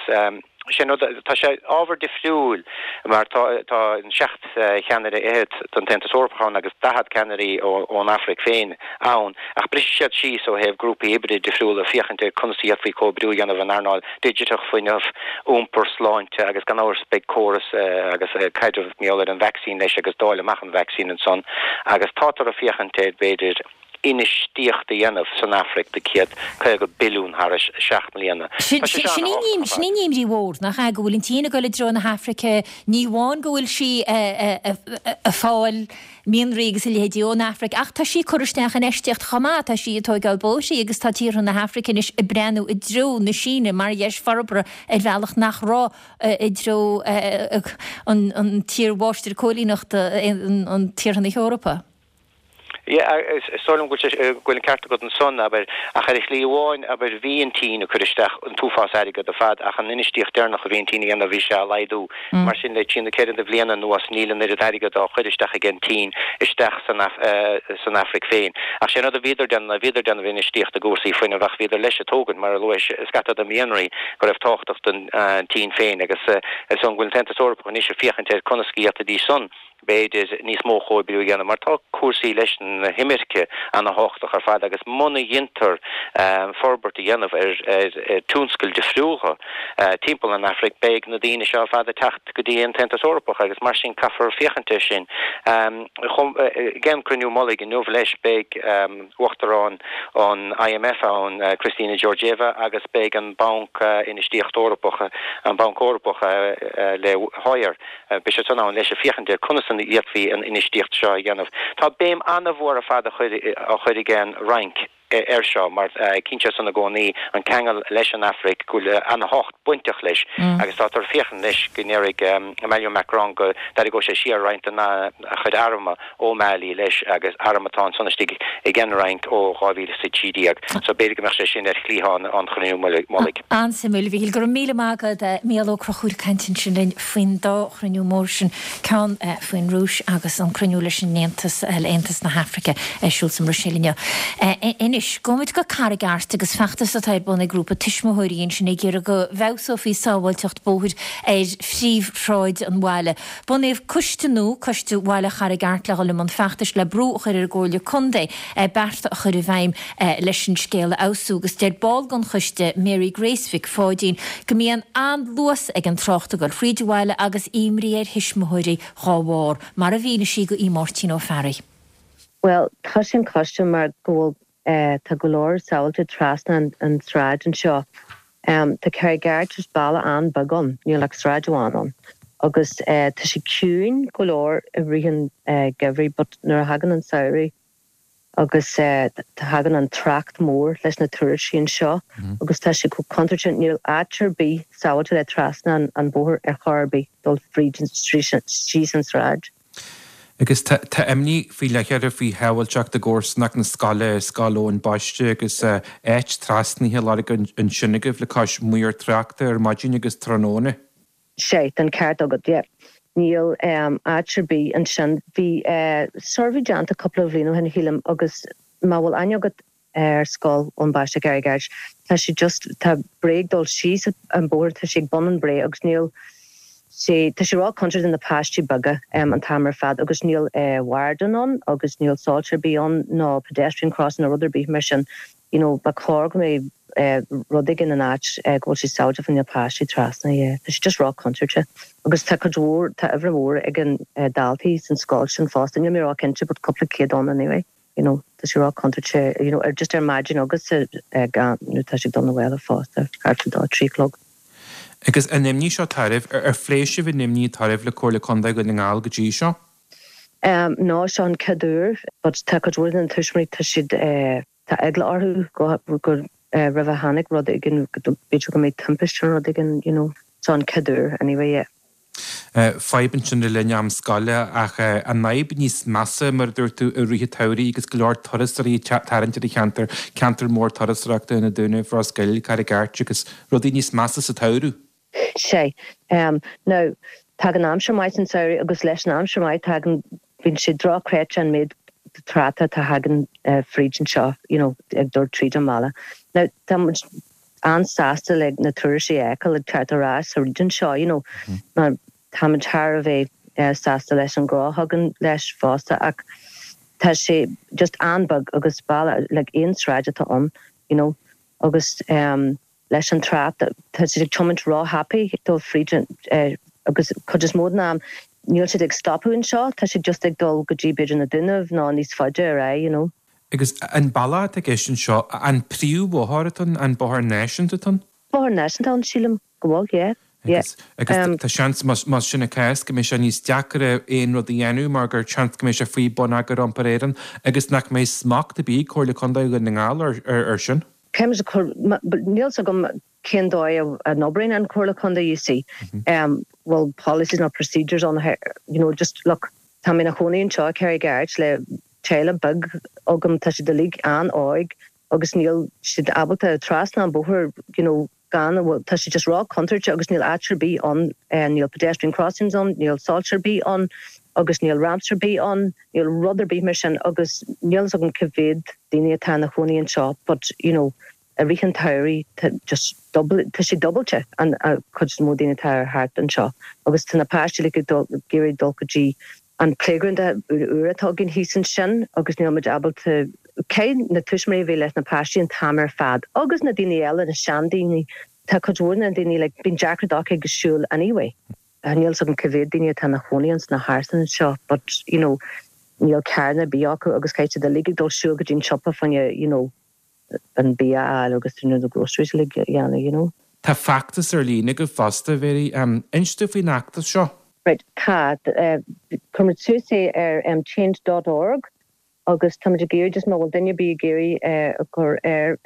Sin rud, tá sé ábhar difriúil mar tá tá an seacht cheannaire fhichead den tAontas Eorpach ann agus daichead ceannairí ón Afraic féin ann ach brisfidh siad síos ó thaobh grúpaí oibre difriúla féachaint ar conas a d'fhéadfaí comhoibriú a dhéanamh in earnáil digiteach, fuinneamh, iompar, sláinte agus gan amhras beidh córas agus caidreamh mar gheall ar an vacsaín leis agus dáileadh amach an vacsaín ansan agus tátar ag féachaint ar b'fhéidir infheistíocht a dhéanamh san Afraic de céad caoga billiún thar seacht mbliana. Sin sin í an imní mhór, nach ea, go bhfuil an tSín ag dul i dtreo na hAfraice, ní amháin go bhfuil sí ag fáil mianraí agus a leithéidí ón Afraic, ach tá sí ag cur isteach infheistíocht chomh maith, tá sí ag tóigeáil bóithrí agus tá tíortha na hAfraice anois ag breathnú i dtreo na Síne mar dheis forbartha ar bhealach nach raibh i dtreo an tír mháistir cóilíneachta, an tíortha na hEorpa. Yeah, is dóigh liom go bhfuil an ceart agat ansan, abair, ach ar shlí amháin, abair, bhí an tSín ag cur isteach an t-uafás airgead ar fad ach an infheistíocht deireanach a bhí an tSín a dhéanamh bhí sé á laghdú. Mar sin le trí nó ceithre de bhliana anuas níl an oiread airgead á chur isteach ag an tSín isteach san san Afraic féin. Ach sé an rud a bhíodar déanamh ná bhíodar déanamh infheistíocht i gcúrsaí fuinnimh ach bhíodar leis ag tógaint, mar a luais, scata de mhianraí go raibh tábhachtach don tSín féin agus is dóigh go bhfuil an tAontas Eorpach anois ag féachaint ar conas go bhféadfaidís san b'fhéidir, níos mó comhoibriú a dhéanamh, mar tá cúrsaí leis na himirce ana-thábhachtach ar fad agus muna dheintear forbairt a dhéanamh ar tionscail difriúla timpeall an Afraic, beidh na daoine seo ar fad ag teacht go dtí an tAontas Eorpach agus mar sin caithfear féachaint air sin. Ag an gcruinniú mullaigh inniu leis beidh Uachtarán an IMF ann, Kristalina Georgieva, agus beidh an Banc Infheistíochta Eorpach, an Banc Eorpach le Hoyer, Beidh siad san ann leis ag féachaint ar conas a d'fhéadfaí an infheistíocht seo a dhéanamh. Tá béim an-mhór ar fad á chur ag an Fhrainc air seo mar cinnte san i gcónaí an ceangal leis an Afraic go bhfuil an-thábhacht bainteach leis agus táthar ag féachaint leis go ndéarfaidh Emmanuel Macron go dtarraingeoidh sé siar roinnt dena chuid arm ó Mali leis agus arm atá ansan istigh ag an Fhrainc ó dhá mhíle is a trí déag. So b'fhéidir go mbeadh sé sin ar chliathán an chruinniú mullaigh. An-suimiúil, a Mhíchíl. Go raibh míle maith agat. Mícheál Ó Conchúir ag caint ansin linn faoin dá chruinniú mór sin, ceann faoin Rúis agus an cruinniú leis an Aontas, le Aontas na hAfraice ar siúl sa mBruiséil inniu. Anois, gabhfaimid go Carraig Airt agus feachtas atá ar bun ag grúpa tuismitheoirí ansin ag iarraidh go bhfeabhsófaí sábháilteacht bóthair ar phríomhshráid an bhaile. Bunaíodh coiste nua, Coiste Bhaile Charraig Airt, le dhul i mbun feachtais le brú a chur ar an gComhairle Contae bearta a chur i bhfeidhm leis an scéal a fheabhsú agus deir ball den choiste, Mary Grace Mhic Pháidín, go mbíonn an-luas ag an trácht ag dul fríd an bhaile agus imní ar thuismitheoirí dhá bharr, mar a mhínigh sí do Mháirtín Ó Fearraigh. Bhuel, tá sé an coiste mar go bhfuil tá go leor sábháilte trasna an tsráid anseo. Tá Carraig Airt just baile an-bheag ann, níl ach sráid amháin ann. Agus tá sé ciúin go leor i rith an gheimhridh but nuair a thagann an samhradh agus tagann an trácht mór leis na turasóirí anseo agus tá sé chomh contúirteach, níl áit ar bith sábháilte le trasna an bóthar ar chor ar bith dul fríd síos an tsráid. Agus tá imní faoi leith oraibh faoi shábháilteacht i gcomharsanacht na scoile, Scoil Eoin Baiste, agus áit trasnaithe á lorg ansin agaibh le cois maor tráchta ar maidin agus tráthnóna. Sea, tá an ceart agat, yeah. Níl áit ar bith ansin. Bhí suirbhé déanta cúpla bhliain ó shin, shílim, agus má bhfuil aithne agat ar Scoil Eoin Baiste Carraig Airt, tá sé just, tá bré ag dul síos an bóthar, tá sé ag bun an bré agus níl sé, tá sé ró-chontúirteach do na páistí beaga an t-am ar fad agus níl warden ann agus níl soilse ar bith ann ná pedestrian crossing nó rud ar bith mar sin, you know, ba chóir go mbeadh rud éigin in áit go bhfuil sé sábháilte do na páistí trasna, yeah. Tá sé just ró-chontúirteach agus tá cuid mhór, tá uimhir mhór ag an daltaí san scoil sin fosta, níl mé ró-chinnte but cúpla céad ann anyway. You know, tá sé ró-chontúirteach, you know, ar just ar maidin agus nuair atá sé ag dul na bhaile fosta, thart ar dó, trí a chlog. Agus an imní seo atá oraibh, ar phléigh sibh an imní atá oraibh le Comhairle Contae Dhún na nGall go dtí seo? Um, no, seo an chéad uair, but tá cuid mhór de na tuismitheoirí, tá siad, eh, tá eagla orthu go, go, eh, roimh a tháinig rud éigin, go, b'fhéidir go mbeidh timpiste nó rud éigin, you know, seo an chéad uair anyway, yeah. Fadhb ansin le linn am scoile ach an fhadhb níos measa, mar a dúirt tú, i rith an tsamhraidh agus go leor turasóirí ag tarraingt ar an cheantar, ceantar mór turasóireachta na Dúnaibh, Ros Goill, Carraig Airt agus rudaí níos measa sa tsamhradh. Sea. Now, tagann aimsir maith san samhradh agus leis an aimsir maith tagann, bíonn sé drochchreidte an méid tráchta atá thagann fríd anseo, you know, ag dul tríd an mbaile. Now, tá muid an-sásta le na turasóirí a fheiceáil ag teacht ar ais thríd anseo, you know, mar táimid thar a bheith sásta leis an gnó a thagann leis fosta ach tá sé just an-bheag agus baile like aon sráid atá ann, you know, agus um, leis an trácht tá siad ag tiomáint ró-thapaidh dul fríd uh, agus cuid is mó den am níl siad ag stopadh anseo, tá siad just ag dul go dtí b'fhéidir na Dúnaibh nó níos faide ar aghaidh, you know. Agus an bealach atá i gceist anseo, an príomhbhóthar atá ann, an bóthar náisiúnta atá ann? Bóthar náisiúnta ann, sílim go bhfuil, yeah, yeah. Agus tá seans, más sin an cás, go mbeidh sé níos deacaire aon rud a dhéanamh mar gur seans go mbeidh sé faoi Bonneagar Iompair Éireann agus nach mbeidh smacht ar bith ag Comhairle Contae Dhún na nGall ar sin. Caithfimid a chur, níl 's agam cén dóigh a n-oibríonn an Chomhairle Contae, you see. Bhfuil policies nó procedures ann, you know, just look, tá mé ina chónaí anseo i Carraig Airt le teaghlach beag agam, tá siad uilig an-óg agus níl siad ábalta trasna an bóthar, you know, gan a bhfuil, tá sé just ró-chontúirteach agus níl áit ar bith ann, níl pedestrian crossings ann, níl soilse ar bith ann agus níl ramps ar bith ann, níl rud ar bith mar sin agus níl fhios agam cá mhéad daoine atá ina chónaí anseo but, you know, i rith an tsamhraidh tá just double, tá sé dúbailte an chuid is mó daoine atá ar thart anseo agus tá na páistí like ag dul, ag iarraidh dul go dtí an playground úr atá againn thíos ansin agus níl muid ábalta caithfidh na tuismitheoirí a bheith leis na páistí an t-am ar fad agus na daoine eile, na seandaoine, tá cuid mhór na daoine like bíonn deacracht acu ag siúl anyway. Níl fhios agam cá mhéad daoine atá ina chónaí ins na hárasán anseo but you know níl carranna ar bith acu agus caithfidh siad uilig ag dul siúl go dtí an siopa fá choinne you know an bia a fháil agus you know the groceries uilig a dhéanamh you know. Tá feachtas ar líne agaibh fosta, Mary. Inis dúinn faoin fheachtas seo. Right, tá. Chuir muid suas é ar change dot org agus táimid ag iarraidh just má bhfuil duine ar bith ag iarraidh a chur ar,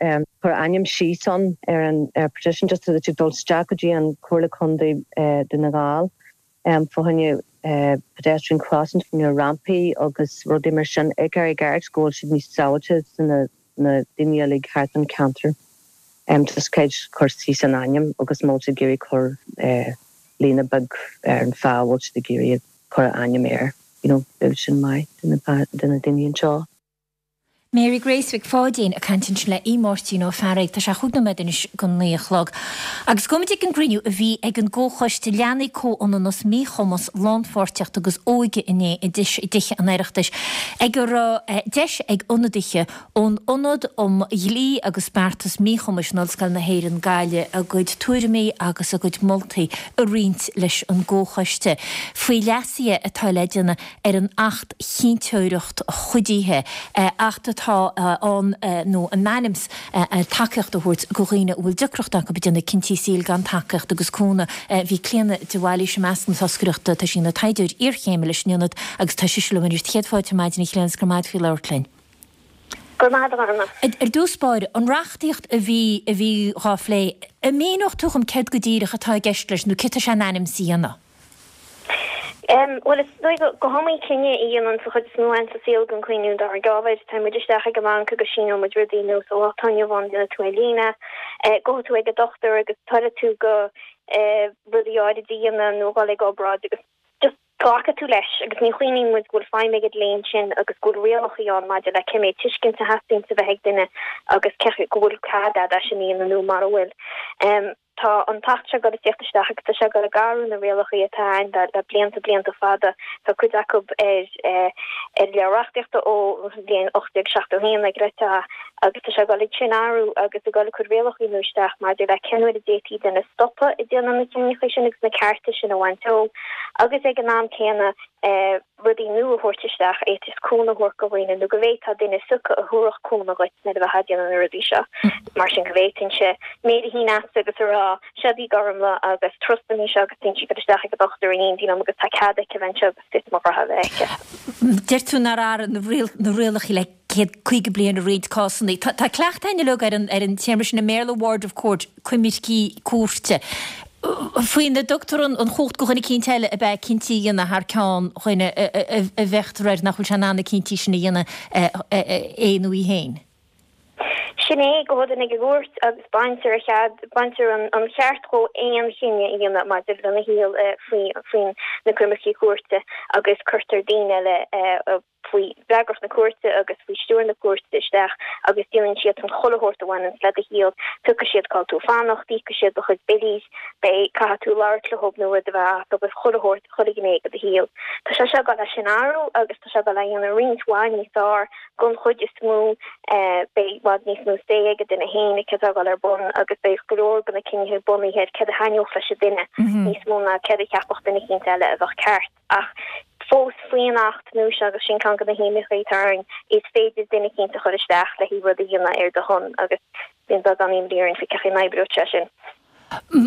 cur a ainm síos ann ar an petition just so that you dul isteach go dtí an Comhairle Contae Dhún na nGall fá choinne pedestrian crossings, fá choinne rampaí agus rudaí mar sin i gCarraig Airt go bhfuil siad níos sábháilte do na na daoine uilig thart an ceantar. Just caithfidh cur síos an ainm agus má bhfuil siad ag iarraidh cur líne beag ar an fáth a bhfuil siad ag iarraidh cur a ainm air, you know, beidh sin maith do na do na daoine anseo. Mary Grace Mhic Pháidín ag caint ansin le Aodh Máirtín Ó Fearraigh. Tá sé chúig nóiméad anois go naoi a chlog. Agus gabhfaimid ag an gcruinniú a bhí ag an gComhchoiste Leanaí, Comhionannas, Míchumas, Lánpháirtíocht agus Óige inné i dTithe an Oireachtais ag a raibh deis ag ionadaithe ón Ionad um Dhlí agus Beartas Míchumais in Ollscoil na hÉireann, Gaillimh, a gcuid tuairimí agus a gcuid moltaí a roinnt leis an gComhchoiste faoi leasuithe atá le déanamh ar an Acht Chinnteoireacht Chuidithe, Acht atá ann nó in ainm is tacaíocht a thabhairt do dhaoine a bhfuil deacracht acu ag déanamh cinntí saoil gan tacaíocht agus cúnamh. Bhí Clíona de Bhailís i measc na toscaireachta, tá sí ina taighdeoir iarchéime leis an Ionad agus tá sise liom anois. Céad fáilte ar maidin, a Chlíona, is go raibh maith agat faoi labhairt linn. Go raibh maith agat, a Ghorma. Ar dtús báire, an reachtaíocht a bhí a bhí dhá phlé, an míneodh tú dhom céard go díreach atá i gceist leis nó céard tá sé in ainm is a dhéanamh? Bhuel, is dóigh go hiomaí cinneadh a dhéanann sa chuid is mó againn sa saol gan cuimhniú dár gceann. Téann muid isteach ag an mbanc agus síneoidh muid rudaí nó sa lá atá inniu ann déanfaidh tú ar líne, gabhfaidh tú ag an dochtúir agus toileoidh tú go rudaí áirid a dhéanamh nó dhul ag obráid agus just glacfaidh tú leis agus ní chuimhníonn muid go bhfuil feidhm ag an dlí ansin agus go bhfuil rialacha ann maidir le cé méid tuiscint a theastaíonn a bheith ag duine agus cé go bhfuil cead agat é sin a dhéanamh nó mara bhfuil. Tá an tAcht seo ag dul ag tíocht isteach agus tá sé ag dul ag athrú na rialacha atá ann le blianta, blianta fada. Tá cuid acu ar ar leabhar reachtaíochta ó bhliain ocht déag seachtó a haon ag rite agus tá sé ag dul ag sin athrú agus ag dul ag cur rialacha nua isteach maidir le cén uair a d'fhéadfaí duine a stopadh ag déanamh na cinntí sin agus na cearta sin a bhaint dó agus ag an am céanna rudaí nua a thabhairt isteach a fhéadfas cúnamh a thabhairt do dhaoine nó go bhféadfá duine a phiocadh a thabharfadh cúnamh dhuit nuair a bheifeá ag déanamh na rudaí seo. Mar sin go bhféadfainnse méar a shíneadh agatsa agus a rá, 'Seo í Gormfhlaith agus trustaim í seo agus téann sí ag dul isteach ag an dochtúir in éindí liom agus tá cead aici a bheith anseo agus fios mo ghraithe a bheith aici. Deir tú nár athraigh na rialacha le céad caoga bliain i roinnt cásanna. Tá cleachtadh againn uilig ar an téarma sin i mBéarla, ward of court, coimircí cúirte, faoina dtugtar an chumhacht do dhuine eicínt eile ab ea cinntí a dhéanamh thar ceann dhuine a bhféachtar air nach bhfuil sé in ann na cinntí sin a dhéanamh é nó í féin. Sin é, gabhann duine ag an gcúirt agus baintear a chead, baintear an ceart dhó aon chinneadh a dhéanamh maidir lena shaol faoi faoin na coimircí cúirte agus cuirtear daoine eile faoi fhreagracht na cúirte agus faoi stiúir na cúirte isteach agus déanann siadsan chuile shórt a bhaineanns le do shaol, piocfaidh siad cá bhfuil tú ag fanacht, íocfaidh siad do chuid billí, beidh, caithfidh tú labhairt leo nó rud a bheith as agus chuile shórt, chuile ghné de do shaol. Tá sé seo ag dul é sin a athrú agus tá sé ag dul é a dhéanamh roinnt mhaith níos fearr don chuid is mó, beidh i bhfad níos mó say ag an duine féin i céard atá ag dul ar bun agus beidh go leor de na cinnithe bunaithe ar céard a thaitneodh leis an duine níos mó ná céard a cheapfadh duine eicínt eile a bheadh ceart. Ach Fós faoin Acht nua seo, agus sin ceann de na himníocha atá orainn, is féidir duine eicínt a chur isteach le haghaidh rud a dhéanamh ar do shon agus bíonn beagán imní orainn faoi cén chaoi a n-oibreoidh sé sin.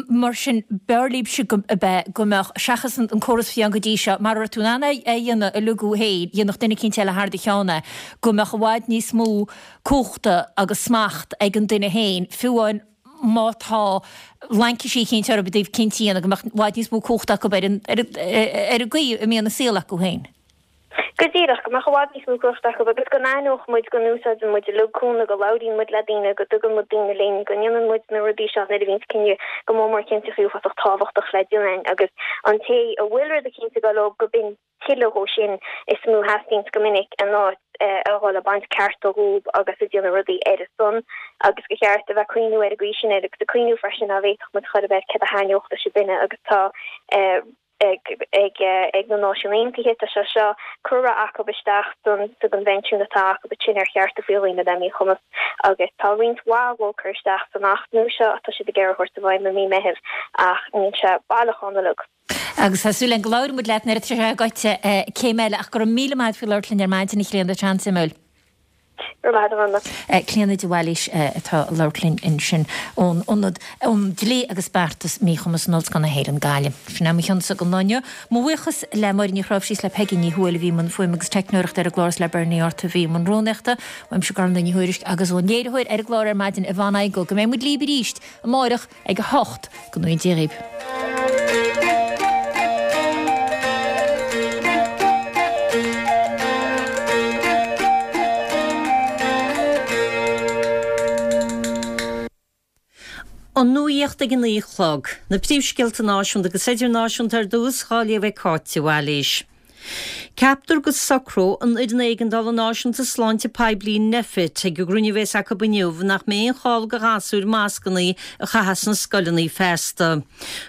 Mar sin, b'fhearr libhse go mbeadh, go mbeadh, seachas an córas a bhí ann go dtí seo, mar a raibh tú in ann é a dhéanamh uilig thú féin, dhéanfadh duine eicínt eile thar do cheann é, go mbeadh i bhfad níos mó cumhachta agus smacht ag an duine féin, fiú amháin má tá laincisí eicínt orthu i dtaobh cinntí a dhéanamh, go mbeadh i bhfad níos mó cumhachta acu ar an, ar an gcaoi a mbíonn a saol acu féin. Go díreach, go mbeadh i bhfad níos mó cumhachta acu agus go n-aithneodh muid go n-úsáideann muid uilig cúnamh, go labhraíonn muid le daoine, go dtugann muid daoine linn, go ndéanann muid na rudaí seo nuair a bhíonns cinneadh go mór mór cinnteachaí uafásach tábhachtach le déanamh agus an té a bhfuil rud eicínt ag dul leo go b'in tuilleadh dhó sin is mó a theastaíonns go minic in áit a dhul ag baint cearta dhóib agus ag déanamh rudaí ar a son agus gur cheart a bheith ag cuimhniú ar an gcaoi sin air agus ag cuimhniú freisin ná bhféadfadh muid chor ar bith céard a thaitneodh leis an duine agus tá ag na Náisiúin Aontaithe. Tá sé seo curtha acu isteach don sa gcoinbhinsiún atá acu ansin ar chearta faoi dhaoine le míchumas agus tá roinnt mhaith dhó curtha isteach san Acht nua seo atá siad ag iarraidh a thabhairt i bhfeidhm i mí Meithimh ach níl sé baileach ann uilig. Agus tá súil againn go labhróidh muid leat nuair atá sé gaibhte céim eile ach go raibh míle maith agat faoi labhairt linn ar maidin a Chlíona, tá an-suimiúil. Go raibh maith agat, a Ghormfhlaith. Clíona de Bhailís atá ag labhairt linn ansin ón Ionad um Dlí agus Beartas Míchumais in Ollscoil na hÉireann, Gaillimh. Sin é mo chionsa don lá inniu. Mo bhuíochas le Máire Ní Chráimhsí is le Peigí Ní Thuathail a bhí i mbun fuaime agus teicneoireachta ar an gclár is le Bernie Arthur a bhí i mbun rúnaíochta. Uaimse Gormfhlaith Ní Thuairisg agus ón léiritheoir ar an gclár ar maidin, Yvonne Igoe. Go mbeidh muid libh arís amáireach ag a hocht. Go ngnóthaí Dia dhaoibh. An nuacht ag a naoi a chlog. Na príomhscéalta náisiúnta agus idirnáisiúnta ar dtús, dhá léamh ag Cáit de Bhailís. Ceaptar go socróidh an Fhoireann Éigeandála Náisiúnta Sláinte Poiblí, Nphet, ag an gcruinniú a bheas acu inniu nach mbeidh aon chall do ghasúir mascanna a chaitheamh sna scoileanna feasta.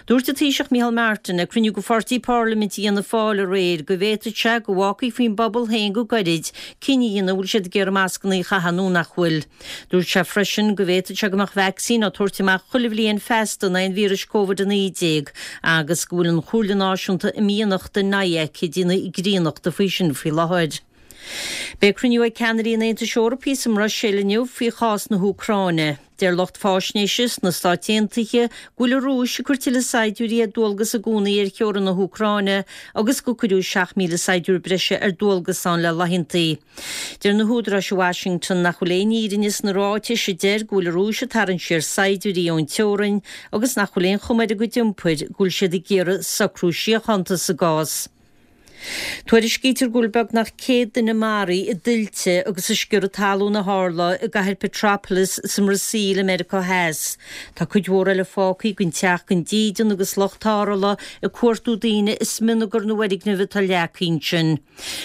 Dúirt an Taoiseach Micheál Martin ag cruinniú de pháirtí parlaiminte Fhianna Fáil aréir go bhféadfadh sé go bhfágfaí faoin bpobal féin go gairid cinneadh a dhéanamh an bhfuil siad ag iarraidh mascanna a chaitheamh nó nach bhfuil. Dúirt sé freisin go bhféadfadh sé go mbeadh vacsaín á tabhairt amach chuile bhliain feasta in aghaidh an víris Covid a naoi déag agus go bhfuil an Chomhairle Náisiúnta Imdhíonachta, NIAC, ag déanamh grínachta faoi sin faoi láthair. Beidh cruinniú ag ceannairí an Aontais Eorpaigh sa mBruiséil inniu faoi chás na hÚcráine. Deir lucht fáisnéise sna Stáit Aontaithe go bhfuil an Rúis ag cur tuilleadh saighdiúirí ar dualgas i gcónaí ar theorainn na hÚcráine agus gur cuireadh seacht míle saighdiúir breise ar dualgas ann le laethantaí. Deir na húdaráis i Washington nach bhfuil aon fhírinne sna ráitis a deir go bhfuil an Rúis ag tarraingt siar saighdiúirí ón teorainn agus nach bhfuil aon chuma ar a gcuid iompair go bhfuil siad ag iarraidh socrú síochánta sa gcás. Tuairiscítear go bhfuil beagnach céad duine maraithe i dtuilte agus i sciorradh talún a tharla i gcathair Petrópolis sa mBrasaíl i Meiriceá Theas. Tá cuid mhór eile fágtha gan teach gan dídean agus lucht tarrthála ag cuartú daoine i smionagar na bhfoirgneamh atá leagtha ansin.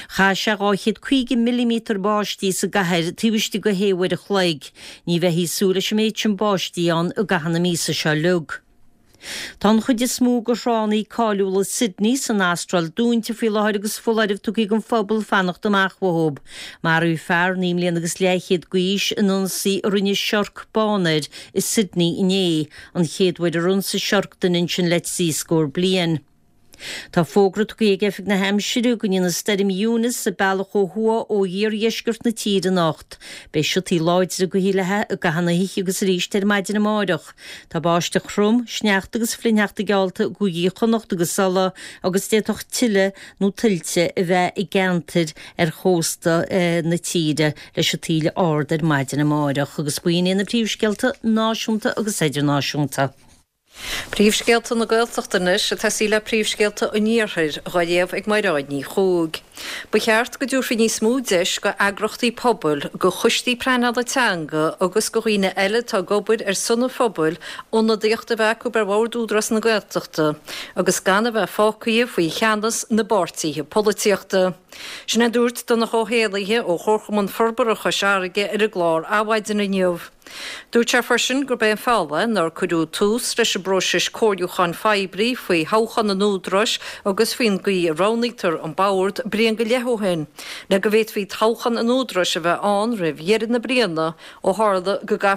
Chaith sé dhá chéad caoga milliméadar báistí sa gcathair taobh istigh de shé uair a chloig. Ní bheifí ag súil leis an méid sin báistí ann i gcaitheamh na míosa seo uilig. Tá an chuid is mó de thránna cáiliúla Sydney san Astráil dúnta faoi láthair agus foláireamh tugtha don phobal fanacht amach uathu. Maraíodh fear naoi mbliana agus leathchéad d'aois in ionsaí a rinne siorc bán air i Sydney inné, an chéad uair ar ionsaigh siorc duine ansin le trí scór bliain. Tá fógra tugtha ag Oifig na hAimsire go ndéanfaidh Stoirm Eunice a bealach ó thuaidh ó iardheisceart na tíre anocht. Beidh siotaí láidre gaoithe léi i gcaitheamh na hoíche agus arís ar maidin amárach. Tá báisteach throm, sneachta agus flichshneachta geallta i gcúigí Chonnacht agus Uladh agus d'fhéadfadh tuile nó tuilte a bheith i gceantair ar chósta na tíre leis an taoille ard ar maidin amárach. Agus b'in iad na príomhscéalta náisiúnta agus idirnáisiúnta. Príomhscéalta na Gaeltachta anois ag tosaí le príomhscéalta an Iarthair, dhá léamh ag Mairéad Ní Chuaig. Ba cheart go dtabharfaí níos mó deis go eagrachtaí pobail, go choistí pleanála teanga agus go dhaoine eile atá ag obair ar son an phobail ionadaíocht a bheith acu ar bhord Údarás na Gaeltachta agus gan a bheith fágtha faoi cheannas na bpáirtithe polaitíochta. Sin é a dúirt Donncha Ó hÉallaithe ó Chomharchumann Forbartha Chois Fharraige ar an gclár Adhmhaidin inniu. Dúirt sé freisin gurb é an fáth nár cuireadh tús leis an bpróiseas comhairliúcháin phoiblí faoi thoghchán an Údaráis agus faoin gcaoi a roghnaítear an bord bliain go leith ó shin, le go bhféadfaí toghchán an Údaráis a bheith ann roimh dheireadh na bliana ó tharla go gcaithfí